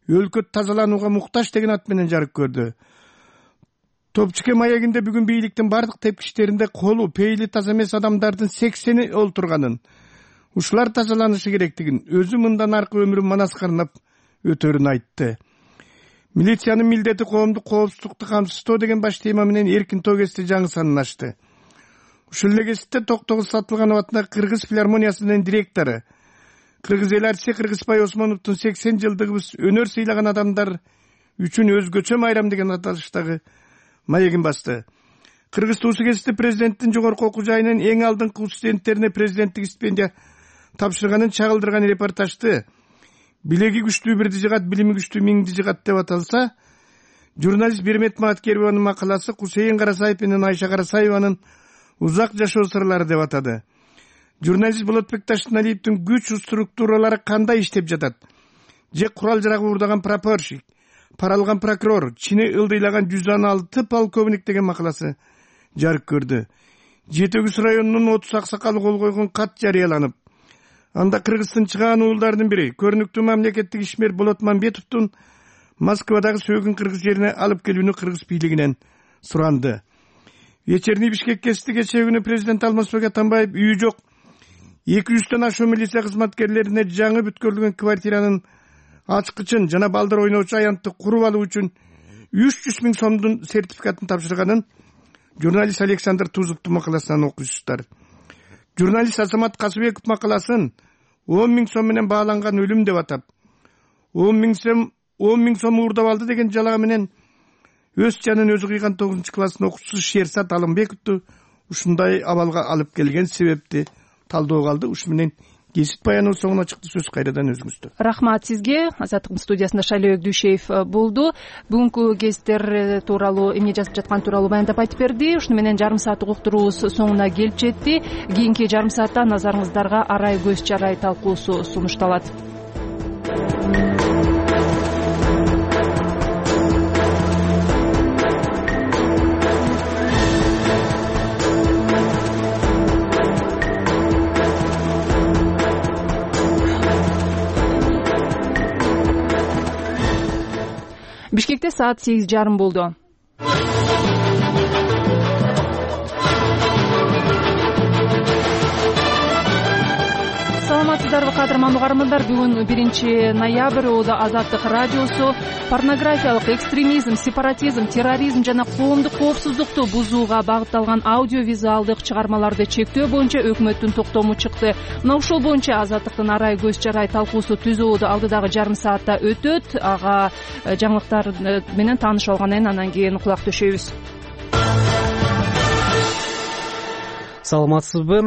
өлкө тазаланууга муктаж деген ат менен жарык көрдү. Топчуке маегинде бүгүн бийликтин бардык тепкичтеринде колу, пейили таза эмес адамдардын 80-и олтурганын, ушулар тазаланышы керектигин, өзү мындан аркы өмүрүн манаскарнап өтөрүн айтты. Милициянын милдети коомдук коопсуздукту камсыздоо деген баш тема менен эркин той кести жаңы санын ачты. Ушул эле кесипте Токтогуз Сатылганов атындагы Кыргыз филармониясынын директору, Кыргыз эл артиси Кыргызбай Осмоновдун 80 жылдыгыбыз өнөр сыйлаган адамдар үчүн өзгөчө майрам деген аталыштагы маегин басты. Кыргыз туусу кесипте президенттин жогорку окуу жайынын эң алдыңкы студенттерине президенттик стипендия тапшырганын чагылдырган репортажды билеги күчтүү бирди жыгат, билими күчтүү миңди жыгат деп аталса, журналист Бермет Маткерованын макаласы Кусейин Карасаев менен Айша Карасаеванын узак жашоо сырлары деп атады. Журналист Болотбек Таштыналиевдин күч структуралары кандай иштеп жатат? Же курал жарак уурдаган прапорщик, пара алган прокурор, чини ылдыйлаган 116 полковник деген макаласы жарык көрдү. Жетөгүз районунун 30 аксакалы кол койгон кат жарыяланып, анда Кыргыздын чыгаан уулдарынын бири, көрүнүктүү мамлекеттик ишмер Болот Мамбетовдун Москвадагы сөөгүн кыргыз жерине алып келүүнү кыргыз бийлигинен суранды. Вечерний Бишкек кести кечээ күнү президент Алмазбек Атамбаев үйү жок 200төн ашуун милиция кызматкерлерине жаңы бүткөрүлгөн квартиранын ачкычын жана балдар ойноочу аянтты куруп алуу үчүн 300 000 сомдун сертификатын тапшырганын журналист Александр Тузовдун макаласынан окуйсуздар. Журналист Азамат Касыбеков макаласын 10 000 сом менен бааланган өлүм деп атап, 10 000 сом уурдап алды деген жалага менен өз жанын өзү кыйган 9 класстын окуучусу Шерсат Алымбековду ушундай абалга алып келген себепти талдоого алды. Ушу менен кесип баянуу соңуна чыкты. Сөз кайрадан өзүңүздө. Рахмат сизге. Азаттыктын студиясында Шайлообек Дүйшеев болду. Бүгүнкү кесиптер тууралуу эмне жазып жаткан тууралуу баяндап айтып берди. Ушуну менен жарым сааттык уктуруубуз соңуна келип жетти. Кийинки жарым саатта назарыңыздарга арай көз чарай талкуусу сунушталат. Бишкекте саат 8:30 болду. Саламатсыздарбы кадырман угармандар? Бүгүн 1 ноябрь. Азаттык радиосу порнографиялык экстремизм, сепаратизм, терроризм жана коомдук коопсуздукту бузууга багытталган аудиовизуалдык чыгармаларды чектөө боюнча өкмөттүн токтому чыкты. Мына ушул боюнча Азаттыктын арай көз чарай талкуусу түзөөдө алдыдагы жарым саатта өтөт. Ага жаңылыктар менен таанышып алгандан кийин анан кийин кулак төшөйбүз. Саламатсызбы?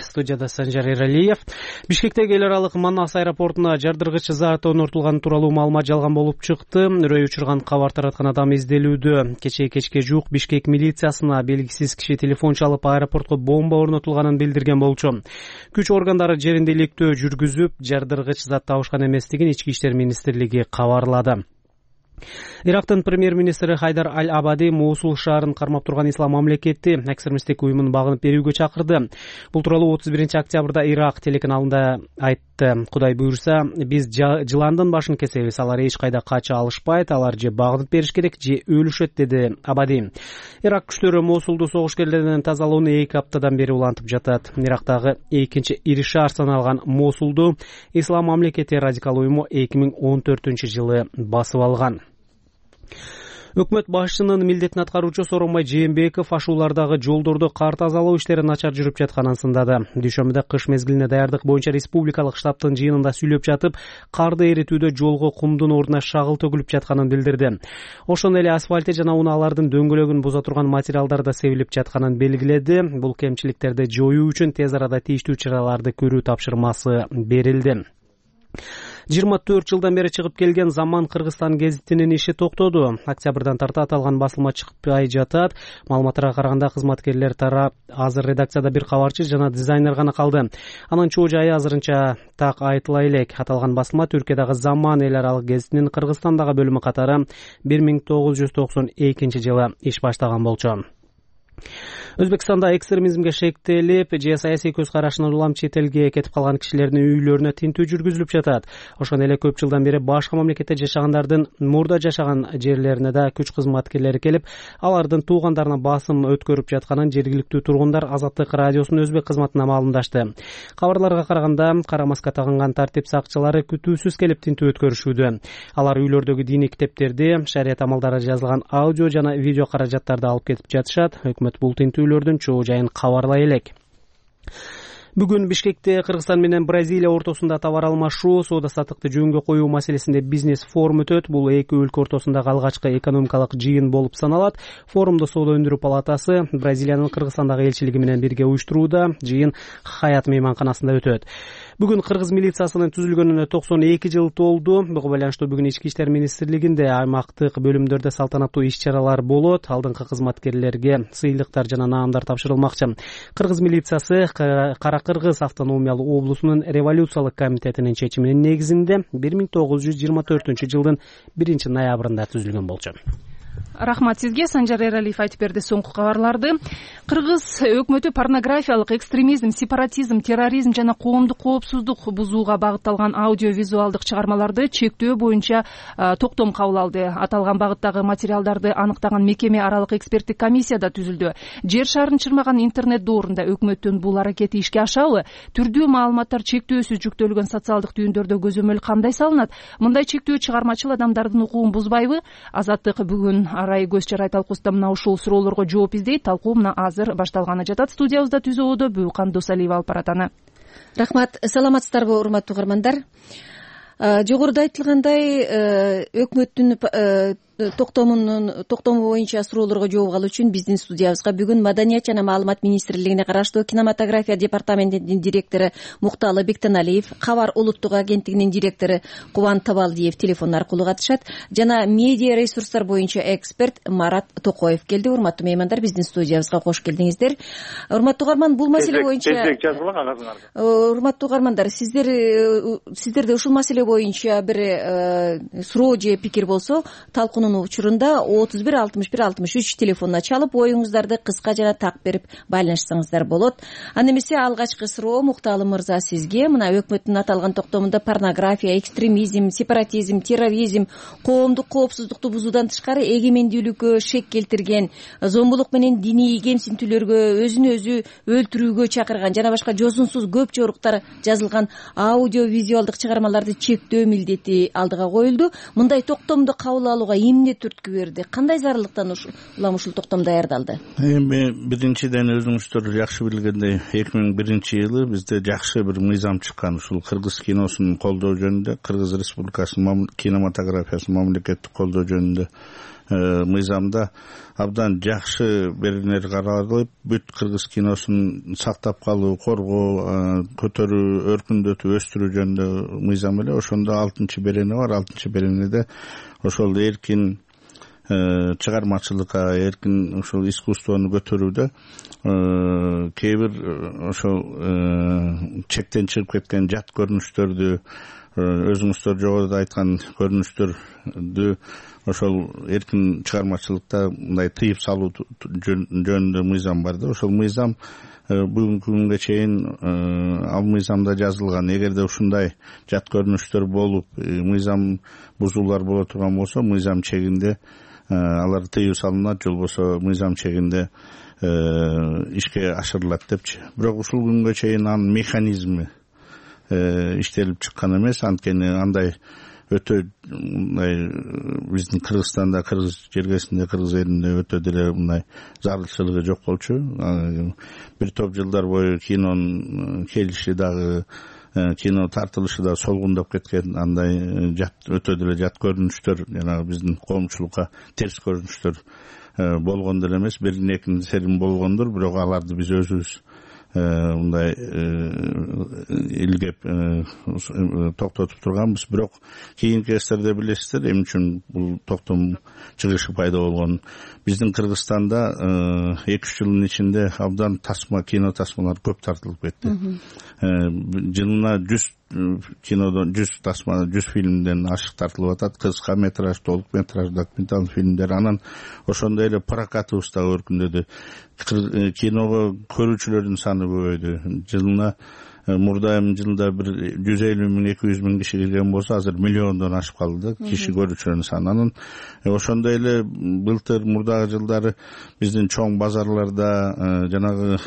Студияда Санжар Эралиев. Бишкектеги эл аралык Манас аэропортуна жардыргыч зат орнотулганы тууралуу маалымат жалган болуп чыкты. Үрөй учурган кабар тараткан адам изделүүдө. Кечке жуук Бишкек милициясына белгисиз киши телефон чалып аэропортко бомба орнотулганын билдирген болчу. Күч органдары жеринде иликтөө жүргүзүп, жардыргыч зат табышкан эместигин Ички иштер министрлиги кабарлады. Ирактын премьер-министри Хайдар Аль-Абади Мосул шаарын кармап турган ислам мамлекети экстремисттик уюмун багынып берүүгө чакырды. Бул тууралуу 31 октябрда Ирак телеканалында айтты. Кудай буйрса, биз жыландын башын кесебиз. Алар эч кайда кача алышпайт, алар же багынып бериш керек, же өлүшөт, деди Абади. Ирак күчтөрү Мосулду согушкерлерден тазалоону 2 аптадан бери улантып жатат. Ирактагы экинчи ири шаар саналган Мосулду ислам мамлекети радикал уюму 2014-жылы басып алган. Өкмөт башчынын милдетин аткаруучу Сооронбай Жээнбеков ашуулардагы жолдорду кар тазалоо иштери начар жүрүп жатканын сындады. Дүйшөмбүдө кыш мезгилине даярдык боюнча республикалык штабтын жыйынында сүйлөп жатып, карды эритүүдө жолго кумдун ордуна шагыл төгүлүп жатканын билдирди. Ошондой эле асфальты жана унаалардын дөңгөлөгүн буза турган материалдар да себилип жатканын белгиледи. Бул кемчиликтерди жоюу үчүн тез арада тийиштүү чараларды көрүү тапшырмасы берилди. 24 жылдан бери чыгып келген Заман Кыргызстан гезитинин иши токтоду. Октябрдан тарта аталган басылма чыкпай жатат. Маалыматтарга караганда кызматкерлер тарап азыр редакцияда бир кабарчы жана дизайнер гана калды. Анын чоо жайы азырынча так айтыла элек. Аталган басылма Түркиядагы Заман эл аралык гезитинин Кыргызстандагы бөлүмү катары 1992-жылы иш баштаган болчу. Өзбекстанда экстремизмге шектелип же саясий көз карашынан улам чет элге кетип калган кишилердин үйлөрүнө тинтүү жүргүзүлүп жатат. Ошондой эле көп жылдан бери башка мамлекетте жашагандардын мурда жашаган жерлерине да күч кызматкерлери келип, алардын туугандарына басым өткөрүп жатканын жергиликтүү тургундар Азаттык радиосунун өзбек кызматына маалымдашты. Кабарларга караганда, кара маска тагынган тартип сакчылары күтүүсүз келип тинтүү өткөрүшүүдө. Алар үйлөрдөгү диний китептерди, шарият амалдары жазылган аудио жана видео каражаттарды алып кетип жатышат. Өкмөт бул тинтүүлөрдүн чоо жайын кабарлай элек. Бүгүн Бишкекте Кыргызстан менен Бразилия ортосунда товар алмашуу, соода саттыкты жөнгө коюу маселесинде бизнес форум өтөт. Бул эки өлкө ортосундагы алгачкы экономикалык жыйын болуп саналат. Форумду Соода өндүрүү палатасы Бразилиянын Кыргызстандагы элчилиги менен бирге уюштурууда. Жыйын Хаят мейманканасында өтөт. Бүгүн Кыргыз милициясынын түзүлгөнүнө 92 жыл толду. Буга байланыштуу бүгүн Ички иштер министрлигинде аймактык бөлүмдөрдө салтанаттуу иш-чаралар болот. Алдыңкы кызматкерлерге сыйлыктар жана наамдар тапшырылмакчы. Кыргыз милициясы Кара Кыргыз автономиялуу облусунун революциялык комитетинин чечиминин негизинде 1924-жылдын 1 ноябрында түзүлгөн болчу. Рахмат сизге. Санжар Эралиев айтып берди соңку кабарларды. Кыргыз өкмөтү порнографиялык экстремизм, сепаратизм, терроризм жана коомдук коопсуздук бузууга багытталган аудиовизуалдык чыгармаларды чектөө боюнча токтом кабыл алды. Аталган багыттагы материалдарды аныктаган мекеме аралык эксперттик комиссия да түзүлдү. Жер шарын чырмаган интернет доорунда өкмөттүн бул аракети ишке ашабы? Түрдүү маалыматтар чектөөсүз жүктөлгөн социалдык түйүндөрдө көзөмөл кандай салынат? Мындай чектөө чыгармачыл адамдардын укугун бузбайбы? Азаттык бүгүн арай көз чарай талкуусунда мына ушул суроолорго жооп издейт. Талкуу мына азыр башталганы жатат. Студиябызда түзөөдө Бүйкан Досалиева алып барат аны. Рахмат. Саламатсыздарбы, урматтуу угармандар? Жогоруда айтылгандай, өкмөттүн токтому боюнча суроолорго жооп алуу үчүн биздин студиябызга бүгүн Маданият жана маалымат министрлигине караштуу кинематография департаментинин директору Мукталы Бектеналиев, Кабар улуттук агенттигинин директору Кубан Табалдиев телефон аркылуу катышат жана медиа ресурстар боюнча эксперт Марат Токоев келди. Урматтуу меймандар, биздин студиябызга кош келдиңиздер. Урматтуу угарман, бул маселе боюнча урматтуу угармандар, сиздерде ушул маселе боюнча бир суроо же пикир болсо, талкуунун учурунда 31-61-63 телефонуна чалып, оюңуздарды кыска жана так берип байланышсаңыздар болот. Анда эмесе алгачкы суроо Мукталы мырза сизге. Мына өкмөттүн аталган токтомунда порнография, экстремизм, сепаратизм, терроризм, коомдук коопсуздукту бузуудан тышкары эгемендүүлүккө шек келтирген, зомбулук менен диний кемсинтүүлөргө, өзүн өзү өлтүрүүгө чакырган жана башка жосунсуз көп жоруктар жазылган аудио-визуалдык чыгармаларды чектөө милдети алдыга коюлду. Мындай токтомду кабыл алууга эмне түрткү берди? Кандай зарылыктан ушул токтом даярдалды? Эми биринчиден өзүңүздөр жакшы билгендей 2001-жылы бизде жакшы бир мыйзам чыккан, ушул кыргыз киносун колдоо жөнүндө, Кыргыз Республикасынын кинематографиясын мамлекеттик колдоо жөнүндө мыйзамда абдан жакшы беренелер каралып, бүт кыргыз киносун сактап калуу, коргоо, көтөрүү, өркүндөтүү, өстүрүү жөнүндө мыйзам эле. Ошондо 6 берене бар. 6 беренеде ошол эркин чыгармачылыкка, эркин ушул искусствону көтөрүүдө кээ бир ошол чектен чыгып кеткен жат көрүнүштөрдү, өзүңүздөр жогоруда айткан көрүнүштөрдү ошол эркин чыгармачылыкта мындай тыйып салуу жөнүндө мыйзам бар да. Ошол мыйзам бүгүнкү күнгө чейин ал мыйзамда жазылган. Эгерде ушундай жат көрүнүштөр болуп, мыйзам бузуулар боло турган болсо, мыйзам чегинде алар тыюу салынат, же болбосо мыйзам чегинде ишке ашырылат депчи. Бирок ушул күнгө чейин анын механизми иштелип чыккан эмес. Анткени андай өтө мындай биздин Кыргызстанда, кыргыз жергесинде, кыргыз элинде өтө деле мындай зарылчылыгы жок болчу. Бир топ жылдар бою кинонун келиши дагы, кино тартылышы да солгундоп кеткен, андай өтө деле жат көрүнүштөр, жанагы биздин коомчулукка терс көрүнүштөр болгон деле эмес. Бирин экинсерин болгондур, бирок аларды биз өзүбүз мындай илгеп токтотуп турганбыз. Бирок кийинки кездерде билесиздер эмне үчүн бул токтом чыгышы пайда болгонун. Биздин Кыргызстанда 2-3 жылдын ичинде абдан кино тасмалар көп тартылып кетти. Жылына 100 кинодон 100 тасма, 100 фильмден ашык тартылып атат. Кыска метраж, толук метраж, документалдык фильмдер. Анан ошондой эле прокатыбыз да өркүндөдү. Киного көрүүчүлөрдүн саны көбөйдү. Жылына мурда жылда бир 150 миң, 200 миң киши келген болсо, азыр миллиондон ашып калды киши көрүүчүлөрдүн саны. Анан ошондой эле былтыр, мурдагы жылдары биздин чоң базарларда, жанагы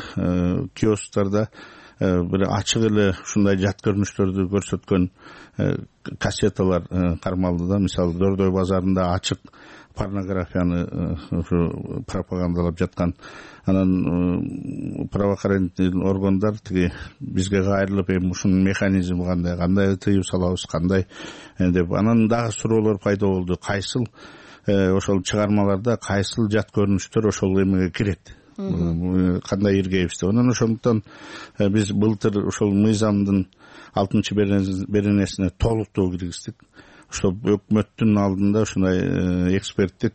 киосктарда бир ачык эле ушундай жат көрүнүштөрдү көрсөткөн кассеталар кармалды да. Мисалы, Дордой базарында ачык порнографияны ушу пропагандалап жаткан. Анан правоохранительный органдар тиги бизге кайрылып, эми ушунун механизми кандай тыюу салабыз, кандай деп анан дагы суроолор пайда болду. Кайсыл ошол чыгармаларда кайсыл жат көрүнүштөр ошол эмеге кирет, кандай иргейбиз деп. Анан ошондуктан биз былтыр ошол мыйзамдын 6 беренесине толуктоо киргиздик. Ошол өкмөттүн алдында ушундай эксперттик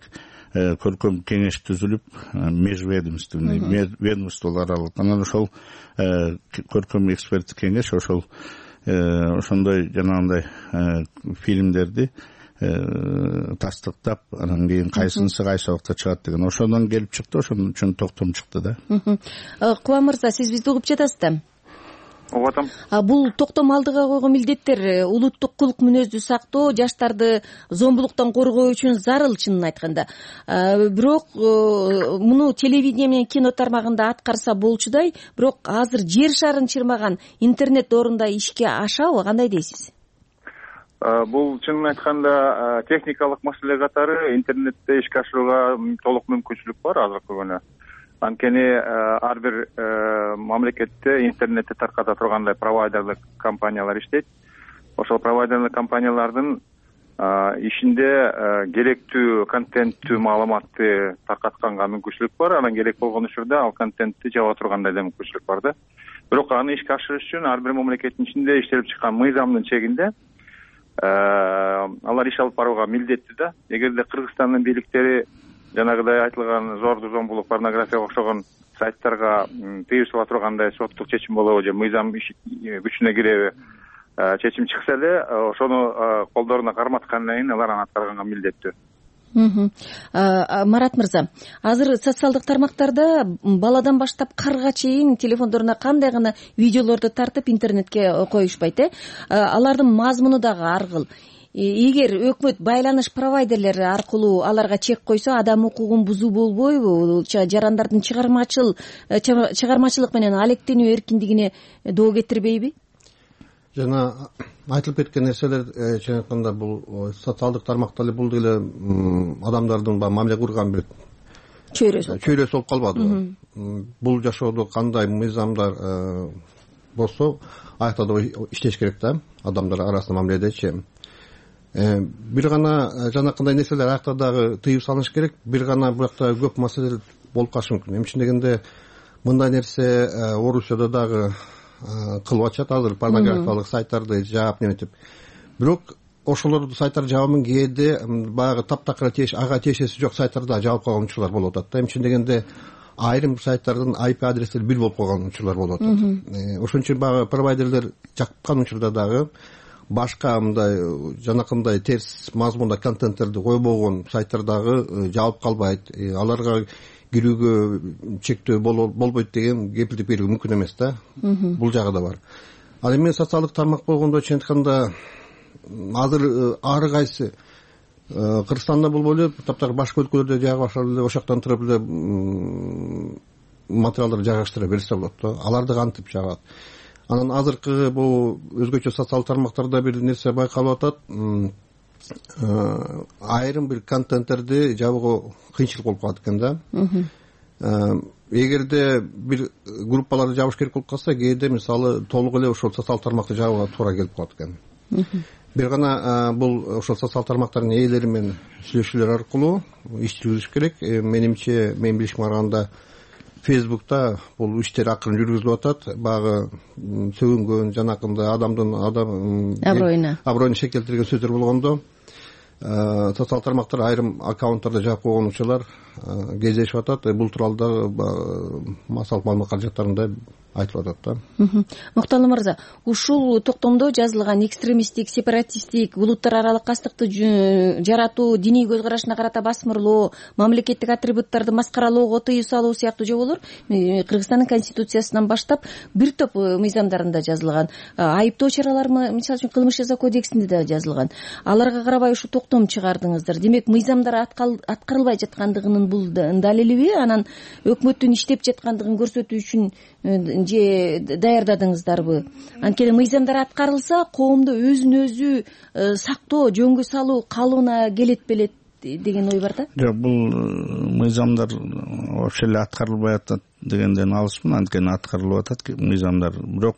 көркөм кеңеш түзүлүп, межведомственный, ведомстволор аралык. Анан ошол көркөм эксперттик кеңеш ошондой жанагындай фильмдерди тастыктап, анан кийин кайсынысы кайсы убакта чыгат деген ошондон келип чыкты. Ошон үчүн токтом чыкты да. Кубан мырза, сиз бизди угуп жатасыз да? Угуп атам. Бул токтом алдыга койгон милдеттер улуттук кулк мүнөздү сактоо, жаштарды зомбулуктан коргоо үчүн зарыл, чынын айтканда. Бирок муну телевидение менен кино тармагында аткарса болчудай, бирок азыр жер шарын чырмаган интернет орунда ишке ашабы, кандай дейсиз? Бул чынын айтканда техникалык маселе катары интернетте ишке ашырууга толук мүмкүнчүлүк бар азыркы күнү. Анткени ар бир мамлекетте интернетти тарката тургандай провайдерлик компаниялар иштейт. Ошол провайдерлик компаниялардын ишинде керектүү контенттүү маалыматты таркатканга мүмкүнчүлүк бар. Анан керек болгон учурда ал контентти жаба тургандай да мүмкүнчүлүк бар да. Бирок аны ишке ашырыш үчүн ар бир мамлекеттин ичинде иштелип чыккан мыйзамдын чегинде алар иш алып барууга милдеттүү да. Эгерде Кыргызстандын бийликтери жанагыдай айтылган зорду зомбулук, порнографияга окшогон сайттарга тыюу сала тургандай соттук чечим болобу же мыйзам күчүнө киреби чечим чыкса эле ошону колдоруна карматкандан кийин алар аны аткарганга милдеттүү. Марат мырза, азыр социалдык тармактарда баладан баштап карга чейин телефондоруна кандай гана видеолорду тартып интернетке коюшпайт, алардын мазмуну дагы ар кыл. Эгер өкмөт байланыш провайдерлери аркылуу аларга чек койсо, адам укугун бузуу болбойбу? Жарандардын чыгармачылык менен алектенүү эркиндигине доо кетирбейби? Жана айтылып кеткен нерселер чын айтканда бул социалдык тармакта эле бул деле адамдардын мамиле курган бир чөйрөсү болуп калбадыбы? Бул жашоодо кандай мыйзамдар болсо аякта да иштеш керек да, адамдар арасында мамиледечи. Бир гана жанакындай нерселер аякта дагы тыюу салыныш керек, бир гана буякта көп маселелер болуп калышы мүмкүн. Эмне үчүн дегенде мындай нерсе Орусияда дагы кылып атышат, азыр порнографиялык сайттарды жаап неметип. Бирок ошолорду сайттарды жаабын кээде баягы таптакыр ага тиешеси жок сайттарда жаап койгон учурлар болуп атат да. Эмне үчүн дегенде айрым сайттардын IP адреστери бир болуп калган учурлар болуп атат. Ошон үчүн баягы провайдерлер жаккан учурда дагы башка мындай жанакындай терс мазмунда контенттерди койбогон сайттар дагы жаап калбайт. Аларга кирүүгө чектөө болбойт деген кепилдик берүү мүмкүн эмес да. Бул жагы да бар. Ал эми социалдык тармак болгондо чын айтканда азыр ар кайсы Кыргызстанда болбой эле таптакыр башка өлкөлөрдө жайга башлап эле ошол жактан туруп эле материалдарды жайгаштыра берсе болот да. Аларды кантип жагат? Анан азыркы бул өзгөчө социалдык тармактарда бир нерсе байкалып атат. Айрым бир контенттерди жабууга кыйынчылык болуп калат экен да. Эгерде бир группаларды жабыш керек болуп калса, кээде мисалы толук эле ошол социалдык тармакты жабууга туура келип калат экен. Бир гана бул ошол социалдык тармактардын ээлери менен сүйлөшүүлөр аркылуу иш жүргүзүш керек. Менимче, менин билишиме караганда Facebook'ta бул иштер акырын жүргүзүлүп атат. Багы сөгүнгөн жанакындай адамдын аброюна шектелтирген сөздөр болгондо социалдык тармактар айрым аккаунттарды жаап койгон учурлар кездешип атат. Бул тууралуу да массалык маалымат каражаттарында айтылып атат да. Мукталым мырза, ушул токтомдо жазылган экстремисттик, сепаратисттик, улуттар аралык кастыкты жаратуу, диний көз карашына карата басмырлоо, мамлекеттик атрибуттарды маскаралоого тыюу салуу сыяктуу жоболор Кыргызстандын конституциясынан баштап бир топ мыйзамдарында жазылган. Айыптоо чаралары мисалы үчүн кылмыш жаза кодексинде да жазылган. Аларга карабай ушу токтом чыгардыңыздар. Демек, мыйзамдар аткарылбай жаткандыгынын бул далилиби? Анан өкмөттүн иштеп жаткандыгын көрсөтүү үчүн же даярдадыңыздарбы? Анткени мыйзамдар аткарылса, коомдо өзүн өзү сактоо, жөнгө салуу калыбына келет белет деген ой бар да. Жок, бул мыйзамдар вообще эле аткарылбай атат дегенден алысмын. Анткени аткарылып атат мыйзамдар. Бирок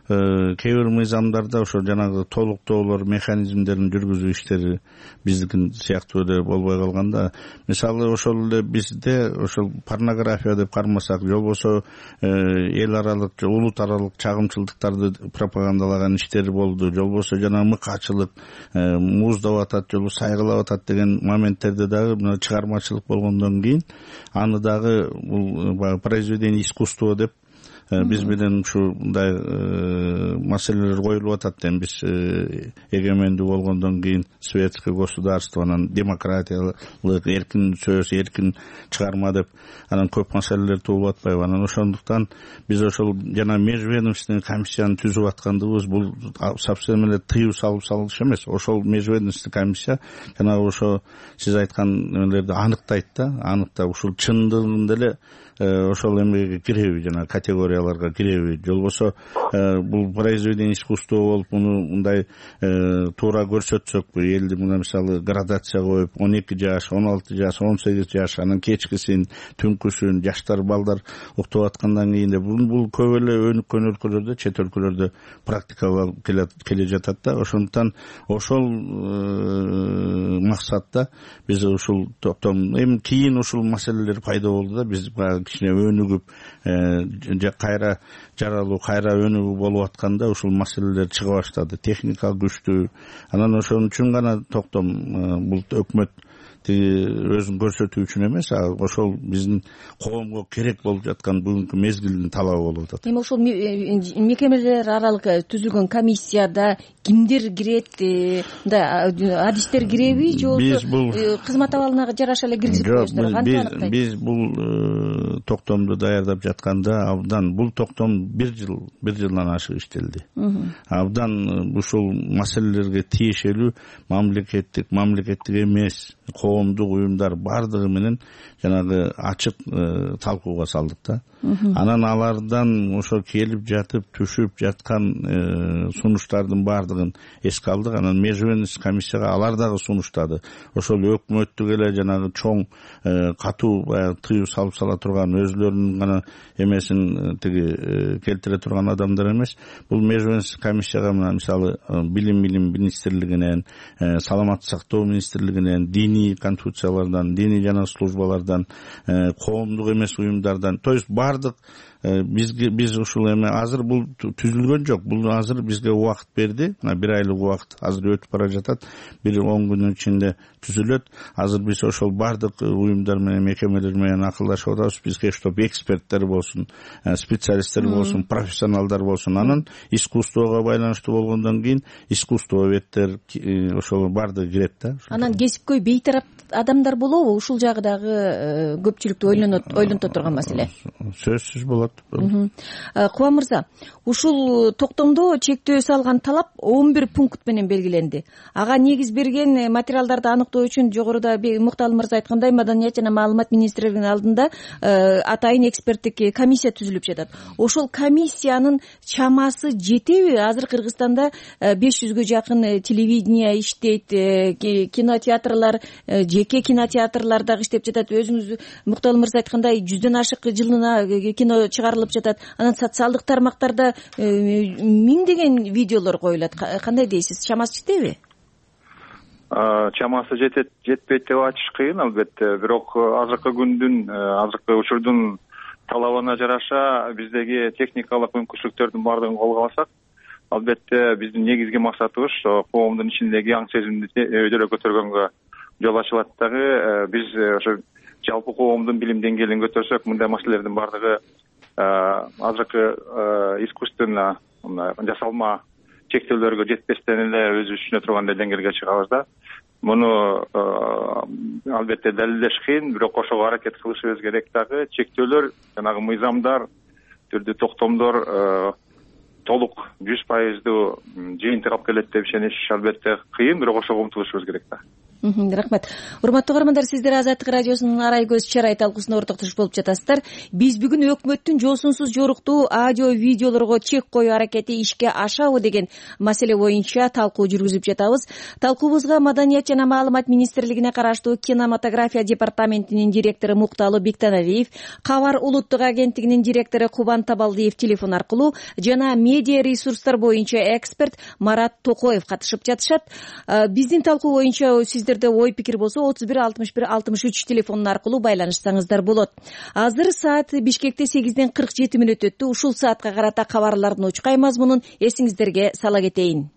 кээ бир мыйзамдарда ошо жанагы толуктоолор, механизмдерин жүргүзүү иштери биздики сыяктуу эле болбой калганда, мисалы ошол эле бизде ошол порнография деп кармасак, же болбосо эл аралык, улут аралык чагымчылдыктарды пропагандалаган иштери болду, же болбосо жанагы мыкаачылык, мууздап атат, же болбосо сайгылап атат деген моменттерде дагы мына чыгармачылык болгондон кийин аны дагы бул произведение искусства деп биз менен ушундай маселелер коюлуп атат. Эми биз эгемендүү болгондон кийин светский государство, анан демократиялык, эркин сөз, эркин чыгарма деп анан көп маселелер туулуп атпайбы? Анан ошондуктан биз ошол жана межведомственный комиссияны түзүп аткандыгыбыз бул совсем эле тыюу салып салыш эмес. Ошол межведомственный комиссия жанагы ошо сиз айткан нелерди аныктайт да, аныктап ушул чындыгында эле ошол эмеге киреби, жана категория категорияларга киреби, же болбосо бул произведение искусства болуп муну мындай туура көрсөтсөкпү, элди мына мисалы градация коюп 12 жаш, 16 жаш, 18 жаш, анан кечкисин, түнкүсүн жаштар балдар уктап аткандан кийин бул көп эле өнүккөн өлкөлөрдө, чет өлкөлөрдө практикаланып келе жатат да. Ошондуктан ошол максатта биз ушул топтом эми кийин ушул маселелер пайда болду да, биз кичине өнүгүп кайра жаралуу, кайра өнүгүү болуп атканда ушул маселелер чыга баштады. Техника күчтүү. Анан ошон үчүн гана токтом бул өкмөт өзүн көрсөтүү үчүн эмес, ошол биздин коомго керек болуп жаткан бүгүнкү мезгилдин талабы болуп атат. Эми ошол мекемелер аралык түзүлгөн комиссияда кимдер кирет, мындай адистер киреби, же болбосо кызмат абалына жараша эле киргизип коесуздар? Кантип аныктайт? Биз бул токтомду даярдап жатканда абдан бул токтом бир жылдан ашык иштелди. Абдан ушул маселелерге тиешелүү мамлекеттик эмес коомдук уюмдар бардыгы менен жанагы ачык талкууга салдык да. Анан алардан ошо келип жатып түшүп жаткан сунуштардын бардыгын эске алдык. Анан межвенность комиссияга алар дагы сунуштады. Ошол өкмөттүк эле жанагы чоң катуу тыюу салып сала турган, өзүлөрүнүн гана эмесин келтире турган адамдар эмес. Бул межвенность комиссияга мисалы билим министрлигинен, саламаттык сактоо министрлигинен, диний конституциялардан, диний жана службалардан, коомдук эмес уюмдардан, то есть бардык биз ушул эме азыр бул түзүлгөн жок. Бул азыр бизге убакыт берди. Бир айлык убакыт азыр өтүп бара жатат. 10 күндүн ичинде түзүлөт. Азыр биз ошол бардык уюмдар менен, мекемелер менен акылдашып атабыз. Бизге чтоб эксперттер болсун, специалисттер болсун, профессионалдар болсун. Анан искусствого байланыштуу болгондон кийин искусствоведтер ошол бардыгы кирет да. Анан кесипкөй бейтарап адамдар болобу? Ушул жагы дагы көпчүлүктү ойлонто турган маселе. Сөзсүз болот. Кубан мырза, ушул токтомдо чектөө салган талап 11 пункт менен белгиленди. Ага негиз берген материалдарды аныктоо үчүн жогоруда Мукталы мырза айткандай Маданият жана маалымат министрлигинин алдында атайын эксперттик комиссия түзүлүп жатат. Ошол комиссиянын чамасы жетеби? Азыр Кыргызстанда 500гө жакын телевидение иштейт, кинотеатрлар, жеке кинотеатрлар дагы иштеп жатат. Өзүңүз Мукталы мырза айткандай 100дөн ашык жылына кино чыгарылып жатат. Анан социалдык тармактарда миңдеген видеолор коюлат. Кандай дейсиз? Чамасы жетеби? Чамасы жетпейт деп айтыш кыйын, албетте. Бирок азыркы күндүн, азыркы учурдун талабына жараша биздеги техникалык мүмкүнчүлүктөрдүн баардыгын колго алсак, албетте биздин негизги максатыбыз коомдун ичиндеги аң сезимди өйдөрө көтөргөнгө жол ачылат дагы. Биз ошо жалпы коомдун билим деңгээлин көтөрсөк, мындай маселелердин баардыгы азыркы искусственно жасалма чектөөлөргө жетпестен эле өзүбүз түшүнө тургандай деңгээлге чыгабыз да. Муну албетте далилдеш кыйын, бирок ошого аракет кылышыбыз керек дагы. Чектөөлөр, жанагы мыйзамдар, түрдүү токтомдор толук 100% жыйынтык алып келет деп ишениш албетте кыйын, бирок ошого умтулушубуз керек да. Рахмат. Урматтуу угармандар, сиздер Азаттык радиосунун арай көз чарай талкуусуна ортоктошуп болуп жатасыздар. Биз бүгүн өкмөттүн жосунсуз жоруктуу аудио видеолорго чек коюу аракети ишке ашабы деген маселе боюнча талкуу жүргүзүп жатабыз. Талкуубузга Маданият жана маалымат министрлигине караштуу кинематография департаментинин директору Мукталы Биктаналиев, Кабар улуттук агенттигинин директору Кубан Табалдиев телефон аркылуу жана медиа ресурстар боюнча эксперт Марат Токоев катышып жатышат. Биздин талкуу боюнча сиздер ой пикир болсо 31-61-63 телефонун аркылуу байланышсаңыздар болот. Азыр саат Бишкекте 8ден 47 мүнөт өттү. Ушул саатка карата кабарлардын учкай мазмунун эсиңиздерге сала кетейин.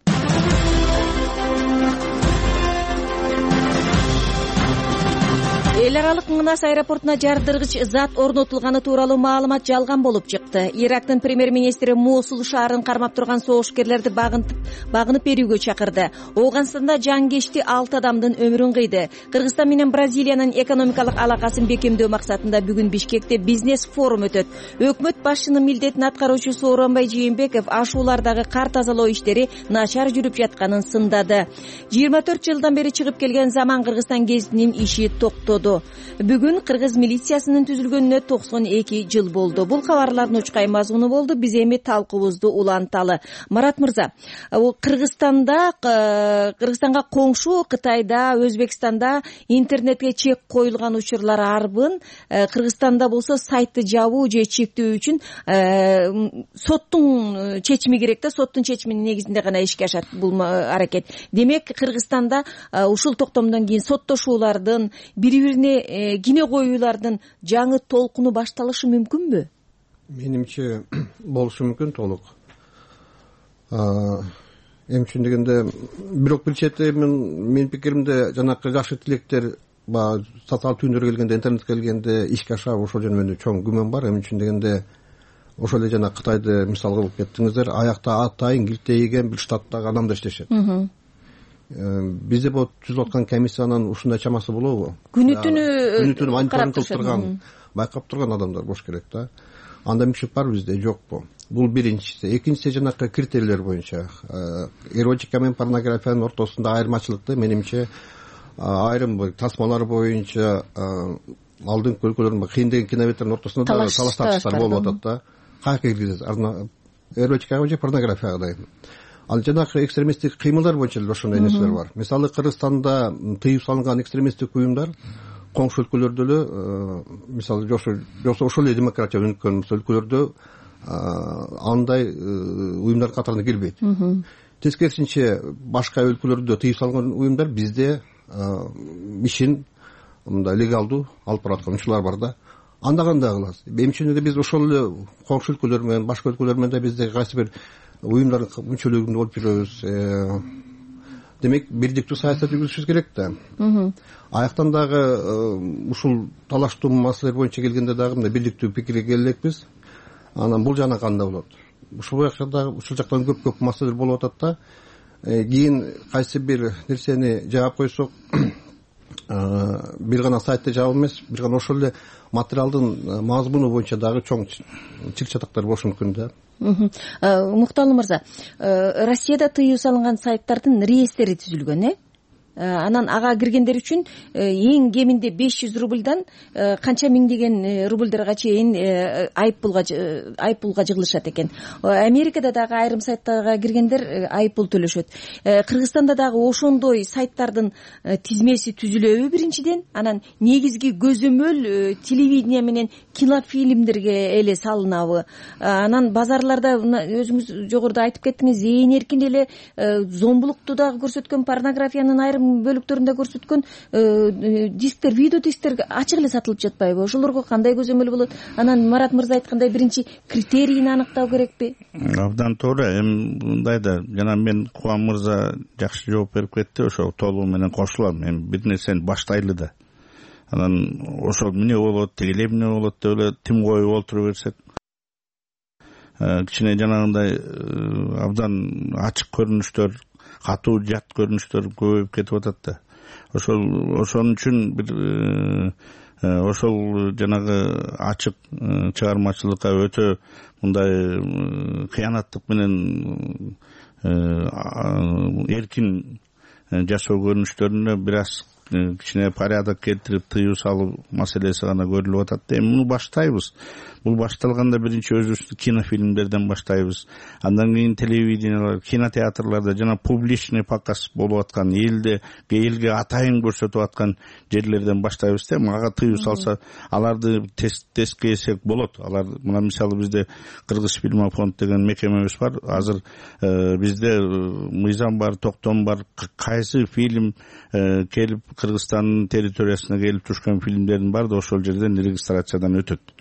Эл аралык Мынас аэропортуна жардыргыч зат орнотулганы тууралуу маалымат жалган болуп чыкты. Ирактын премьер-министри Мосул шаарын кармап турган согушкерлерди багынып берүүгө чакырды. Ооганстанда жангечти 6 адамдын өмүрүн кыйды. Кыргызстан менен Бразилиянын экономикалык алакасын бекемдөө максатында бүгүн Бишкекте бизнес форум өтөт. Өкмөт башчынын милдетин аткаруучу Сооронбай Жээнбеков ашуулардагы кар тазалоо иштери начар жүрүп жатканын сындады. 24 жылдан бери чыгып келген Заман Кыргызстан гезитинин иши токтоду. болду. Бүгүн кыргыз милициясынын түзүлгөнүнө 92 жыл болду. Бул кабарлардын учкай мазмуну болду. Биз эми талкуубузду уланталы. Марат мырза, Кыргызстанга коңшу Кытайда, Өзбекстанда интернетке чек коюлган учурлар арбын. Кыргызстанда болсо сайтты жабуу же чектөө үчүн соттун чечими керек да, соттун чечиминин негизинде гана ишке ашат бул аракет. Демек, Кыргызстанда ушул токтомдон кийин соттошуулардын, бири-бирине кине коюулардын жаңы толкуну башталышы мүмкүнбү? Менимче болушу мүмкүн толук. Эми үчүн дегенде, бирок бир чети менин пикиримде жанакы жакшы тилектер баягы социалдык түйүндөргө келгенде, интернетке келгенде ишке ашабы ошол жөнүндө менде чоң күмөн бар. Эми үчүн дегенде ошол эле жана Кытайды мисал кылып кеттиңиздер, аякта атайын килтейген бир штаттагы адамдар иштешет. Бизде бул түзүлүп аткан комиссиянын ушундай чамасы болобу? Күнү-түнү мониторинг кылып турган, байкап турган адамдар болуш керек да. Андай мүмкүнчүлүк бар бизде, жокпу? Бул биринчиси. Экинчиси жанакы критерийлер боюнча эротика менен порнографиянын ортосунда айырмачылыкты менимче айрым тасмалар боюнча алдыңкы өлкөлөрдүн кыйын деген кинобеттердин ортосунда да талаш тартыштар болуп атат да. Каяка киргизет? Эротикага же порнографияга? Ал жанакы экстремисттик кыймылдар боюнча эле ошондой нерселер бар. Мисалы, Кыргызстанда тыюу салынган экстремисттик уюмдар коңшу өлкөлөрдө эле, мисалы, жоксо ошол эле демократия өнүккөн өлкөлөрдө андай уюмдар катарына кирбейт. Тескерисинче, башка өлкөлөрдө тыюу салынган уюмдар бизде ишин мындай легалдуу алып бараткан учурлар бар да. Анда кандай кылабыз? Эми үчүн эле биз ошол эле коңшу өлкөлөр менен, башка өлкөлөр менен да бизде кайсы бир уюмдардын мүчөлүгүндө болуп жүрөбүз. Демек, бирдиктүү саясат жүргүзүшүбүз керек да. Аяктан дагы ушул талаштуу маселелер боюнча келгенде дагы мындай бирдиктүү пикирге келе элекпиз. Анан бул жана кандай болот? Ушул жактан көп маселелер болуп атат да. Кийин кайсы бир нерсени жаап койсок, бир гана сайтты жаап эмес, бир гана ошол эле материалдын мазмуну боюнча дагы чоң чыр чатактар болушу мүмкүн да. Мукталы мырза, Россияда тыюу салынган сайттардын реестри түзүлгөн, Анан ага киргендер үчүн эң кеминде 500 рубльдан канча миңдеген рубльдарга чейин айыппулга жыгылышат экен. Америкада дагы айрым сайттарга киргендер айыппул төлөшөт. Кыргызстанда дагы ошондой сайттардын тизмеси түзүлөбү биринчиден? Анан негизги көзөмөл телевидение менен кинофильмдерге эле салынабы? Анан базарларда өзүңүз жогоруда айтып кеттиңиз, ээн эркин эле зомбулукту дагы көрсөткөн, порнографиянын айрым бөлүктөрүндө көрсөткөн дисктер, видео дисктер ачык эле сатылып жатпайбы? Ошолорго кандай көзөмөл болот? Анан Марат мырза айткандай, биринчи критерийин аныктау керекпи? Абдан туура. Эми мындай да, жана мен Кубан мырза жакшы жооп берип кетти, ошо толугу менен кошулам. Эми бир нерсени баштайлы да. Анан ошол эмне болот, тигил эмне болот деп эле тим коюп олтура берсек, кичине жанагындай абдан ачык көрүнүштөр, катуу жат көрүнүштөр көбөйүп кетип атат да. Ошон үчүн бир ошол жанагы ачык чыгармачылыкка өтө мындай кыянаттык менен эркин жашоо көрүнүштөрүнө бир аз кичине порядок келтирип тыюу салуу маселеси гана көрүлүп атат да. Эми муну баштайбыз. Бул башталганда биринчи өзүбүздүн кинофильмдерден баштайбыз. Андан кийин телевидениялар, кинотеатрларда жана публичный показ болуп аткан, элге атайын көрсөтүп аткан жерлерден баштайбыз да. Ага тыюу салса, аларды тестке эсек болот. Алар мына мисалы бизде Кыргыз фильмофонд деген мекемебиз бар. Азыр бизде мыйзам бар, токтом бар. Кайсы фильм келип Кыргызстандын территориясына келип түшкөн фильмдердин баары да ошол жерден регистрациядан өтөт.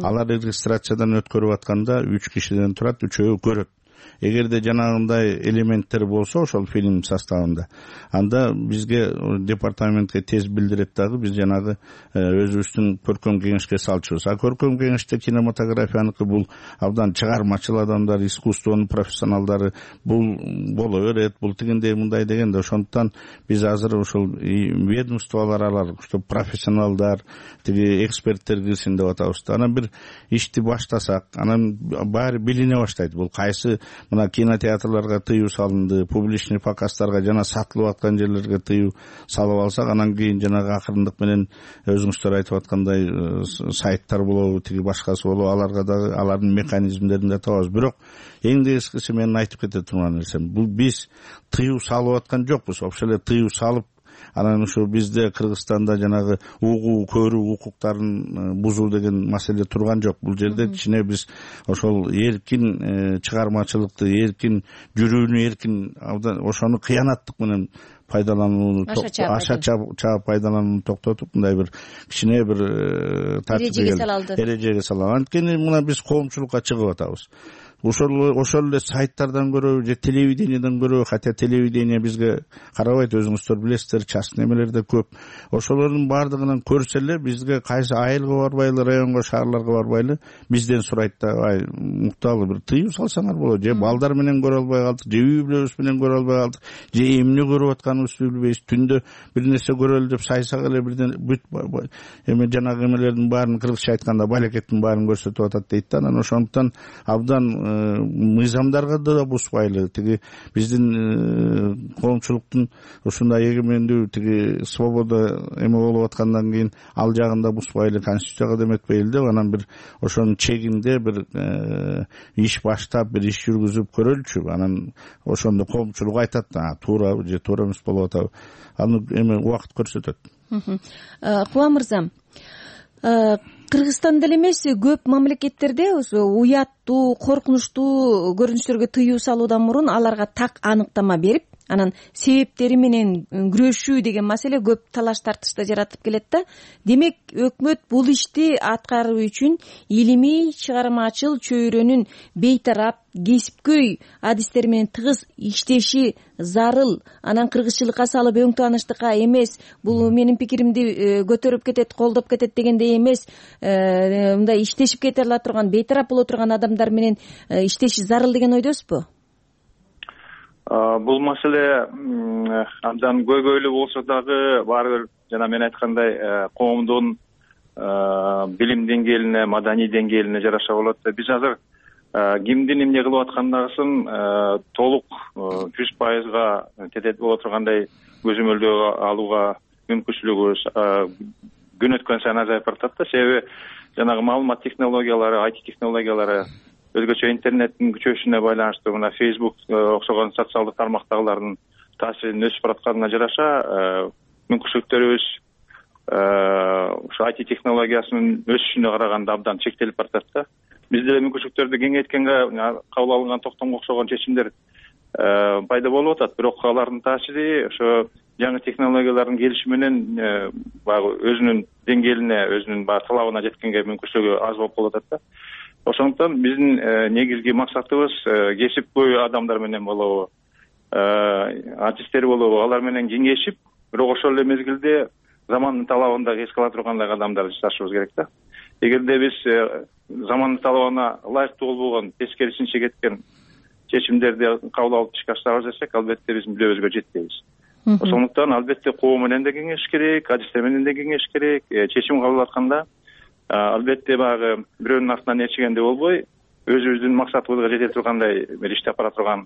Алар регистрациядан өткөрүп атканда 3 кишиден турат, 3-өө көрөт. Эгерде жанагындай элементтер болсо ошол фильм составында, анда бизге департаментке тез билдирет дагы, биз жанагы өзүбүздүн көркөм кеңешке салчубуз. Көркөм кеңеште кинематографияныкы бул абдан чыгармачыл адамдар, искусствонун профессионалдары, бул боло берет, бул тигиндей мындай дегенде, ошондуктан биз азыр ошол ведомстволор алар, чтобы профессионалдар, тиги эксперттер кирсин деп атабыз. Анан бир ишти баштасак, анан баары билине баштайт. Бул кайсы мына кинотеатрларга тыюу салынды, публичный показдарга жана сатылып аткан жерлерге тыюу салып алсак, анан кийин жанагы акырындык менен өзүңүздөр айтып аткандай сайттар болобу, тиги башкасы болобу, аларга дагы алардын механизмдерин да табабыз. Бирок эң негизгиси менин айтып кете турган нерсем, бул биз тыюу салып аткан жокпуз. Вообще эле тыюу салып, анан ушу бизде Кыргызстанда жанагы угуу, көрүү укуктарын бузуу деген маселе турган жок. Бул жерде кичине биз ошол эркин чыгармачылыкты, эркин жүрүүнү, эркин ошону кыянаттык менен пайдаланууну, аша чаап пайдаланууну токтотуп, мындай бир кичине бир эрежеге салалы. Анткени мына биз коомчулукка чыгып атабыз. Ошол эле сайттардан көрөбү же телевидениеден көрөбү, хотя телевидение бизге карабайт, өзүңүздөр билесиздер, частный эмелер да көп. Ошолордун баардыгынан көрсө эле бизге кайсы айылга барбайлы, районго, шаарларга барбайлы бизден сурайт да, ай мукталуу бир тыюу салсаңар болот, же балдар менен көрө албай калдык, же үй бүлөбүз менен көрө албай калдык, же эмне көрүп атканыбызды билбейбиз, түндө бир нерсе көрөлү деп сайсак эле бирден эме жанагы эмелердин баарын, кыргызча айтканда балекеттин баарын көрсөтүп атат дейт да. Анан ошондуктан абдан мыйзамдарга да буспайлы, тиги биздин коомчулуктун ушундай эгемендүү, тиги свобода эме болуп аткандан кийин ал жагында буспайлы, конституцияга да эметпейли деп, анан бир ошонун чегинде бир иш баштап, бир иш жүргүзүп көрөлүчү. Анан ошондо коомчулук айтат, туурабы же туура эмес болуп атабы, аны эме убакыт көрсөтөт. Куба мырза, Кыргызстанда эле эмес, көп мамлекеттерде ошо уяттуу, коркунучтуу көрүнүштөргө тыюу салуудан мурун аларга так аныктама берип, анан себептери менен күрөшүү деген маселе көп талаш тартышты жаратып келет да. Демек, өкмөт бул ишти аткаруу үчүн илимий, чыгармачыл чөйрөнүн бейтарап, кесипкөй адистер менен тыгыз иштеши зарыл. Анан кыргызчылыкка салып өң тааныштыкка эмес, бул менин пикиримди көтөрүп кетет, колдоп кетет дегендей эмес, мындай иштешип кете ала турган, бейтарап боло турган адамдар менен иштеши зарыл деген ойдосузбу? Бул маселе абдан көйгөйлүү болсо дагы, баары бир жана мен айткандай коомдун билим деңгээлине, маданий деңгээлине жараша болот. Биз азыр кимдин эмне кылып аткандыгын толук 100% тетет боло тургандай көзөмөлдөө алууга мүмкүнчүлүгүбүз күн өткөн сайын азайып баратат да. Себеби жанагы маалымат технологиялары, IT технологиялары, өзгөчө интернеттин күчөшүнө байланыштуу мына Facebook окшогон социалдык тармактагылардын таасиринин өсүп баратканына жараша мүмкүнчүлүктөрүбүз ушу IT технологиясынын өсүшүнө караганда абдан чектелип баратат да. Бизде деле мүмкүнчүлүктөрдү кеңейткенге кабыл алынган токтомго окшогон чечимдер пайда болуп атат. Бирок алардын таасири ошо жаңы технологиялардын келиши менен баягы өзүнүн деңгээлине, өзүнүн баягы талабына жеткенге мүмкүнчүлүгү аз болуп калып атат да. Ошондуктан биздин негизги максатыбыз кесипкөй адамдар менен болобу, артисттер болобу, алар менен кеңешип, бирок ошол эле мезгилде замандын талабын да эске ала тургандай адамдарды жасашыбыз керек да. Эгерде биз замандын талабына ылайыктуу болбогон, тескерисинче кеткен чечимдерди кабыл алып ишке ашырабыз десек, албетте биз мүлдөбүзгө жетпейбиз. Ошондуктан албетте коом менен да кеңеш керек, адистер менен да кеңеш керек. Чечим кабыл алып атканда албетте баягы бирөөнүн артынан ээрчигенде болбой, өзүбүздүн максатыбызга жете тургандай бир иштеп бара турган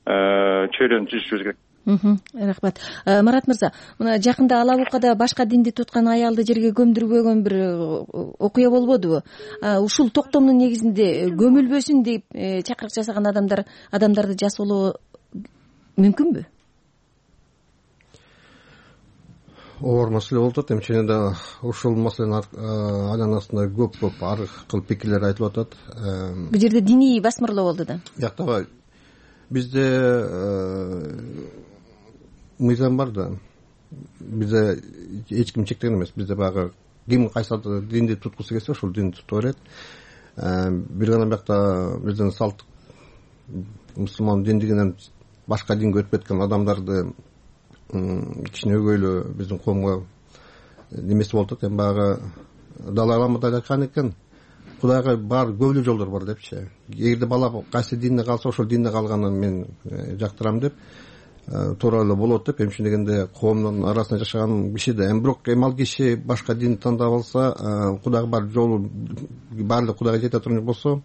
чөйрөнү түзүшүбүз керек. Рахмат. Марат мырза, мына жакында Ала Букада башка динди туткан аялды жерге көмдүрбөгөн бир окуя болбодубу? Ушул токтомдун негизинде көмүлбөсүн деп чакырык жасаган адамдарды жасоолоо мүмкүнбү? Оор маселе болуп атат. Эмчене да ушул маселенин айланасында көп ар кыл пикирлер айтылып атат. Бул жерде диний басмырлоо болду да. Жактабай. Бизде мыйзам бар да. Бизде эч ким чектеген эмес. Бизде баягы ким кайсы динди туткусу келсе ошол динди тута берет. Бир гана биякта биздин салттык мусулман диндигинен башка динге өтүп кеткен адамдарды кичине өгөйлөө биздин коомго немеси болуп атат. Эми баягы Далай Лама да айткан экен, Кудайга бар көбүлүү жолдор бар депчи. Эгерде бала кайсы динде калса, ошол динде калганын мен жактырам деп туура эле болот деп, эмче дегенде коомдун арасында жашаган киши да. Бирок ал киши башка динди тандап алса, Кудайга бар жолу баардык Кудайга жете турган болсо,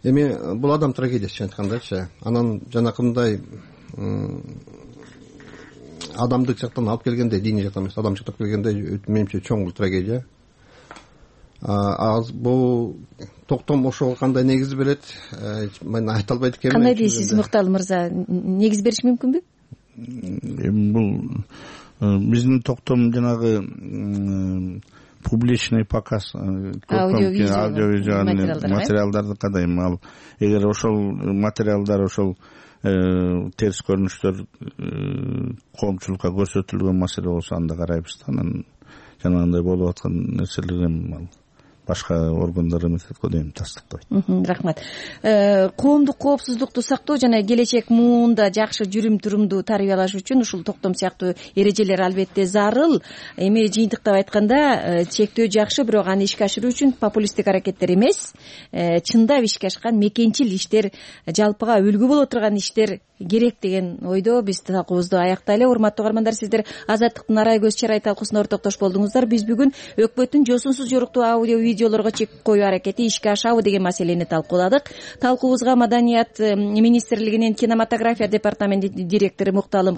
эми бул адам трагедиясы чын айткандачы. Анан жанакындай адамдык жактан алып келгенде, диний жактан эмес, адамдык жактан келгенде менимче чоң трагедия. Бул токтом ошого кандай негиз берет, мен айта албайт экенмин. Кандай дейсиз, Муктал мырза? Негиз бериш мүмкүнбү? Бул биздин токтом жанагы публичный показ, аудиовизуальный материалдарды кадайм. Ал эгер ошол материалдар, ошол терс көрүнүштөр коомчулукка көрсөтүлгөн маселе болсо анда карайбыз да. Анан жанагындай болуп аткан нерселер эми башка органдар эметет го дейм, тастыктабайт. Рахмат. Коомдук коопсуздукту сактоо жана келечек муунда жакшы жүрүм-турумду тарбиялаш үчүн ушул токтом сыяктуу эрежелер албетте зарыл. Эми жыйынтыктап айтканда, чектөө жакшы, бирок аны ишке ашыруу үчүн популисттик аракеттер эмес, чындап ишке ашкан мекенчил иштер, жалпыга үлгү боло турган иштер керек деген ойдо биз талкуубузду аяктайлы. Урматтуу угармандар, сиздер Азаттыктын Арай көз чарай талкуусуна ортоктош болдуңуздар. Биз бүгүн өкмөттүн жосунсуз жоруктуу аудио видеолорго чек коюу аракети ишке ашабы деген маселени талкууладык. Талкуубузга Маданият министрлигинин кинематография департаментинин директору Мукталым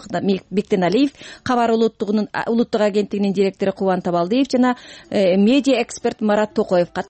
Бектеналиев, Кабар улуттук агенттигинин директору Кубан Табалдиев жана медиа эксперт Марат Токоев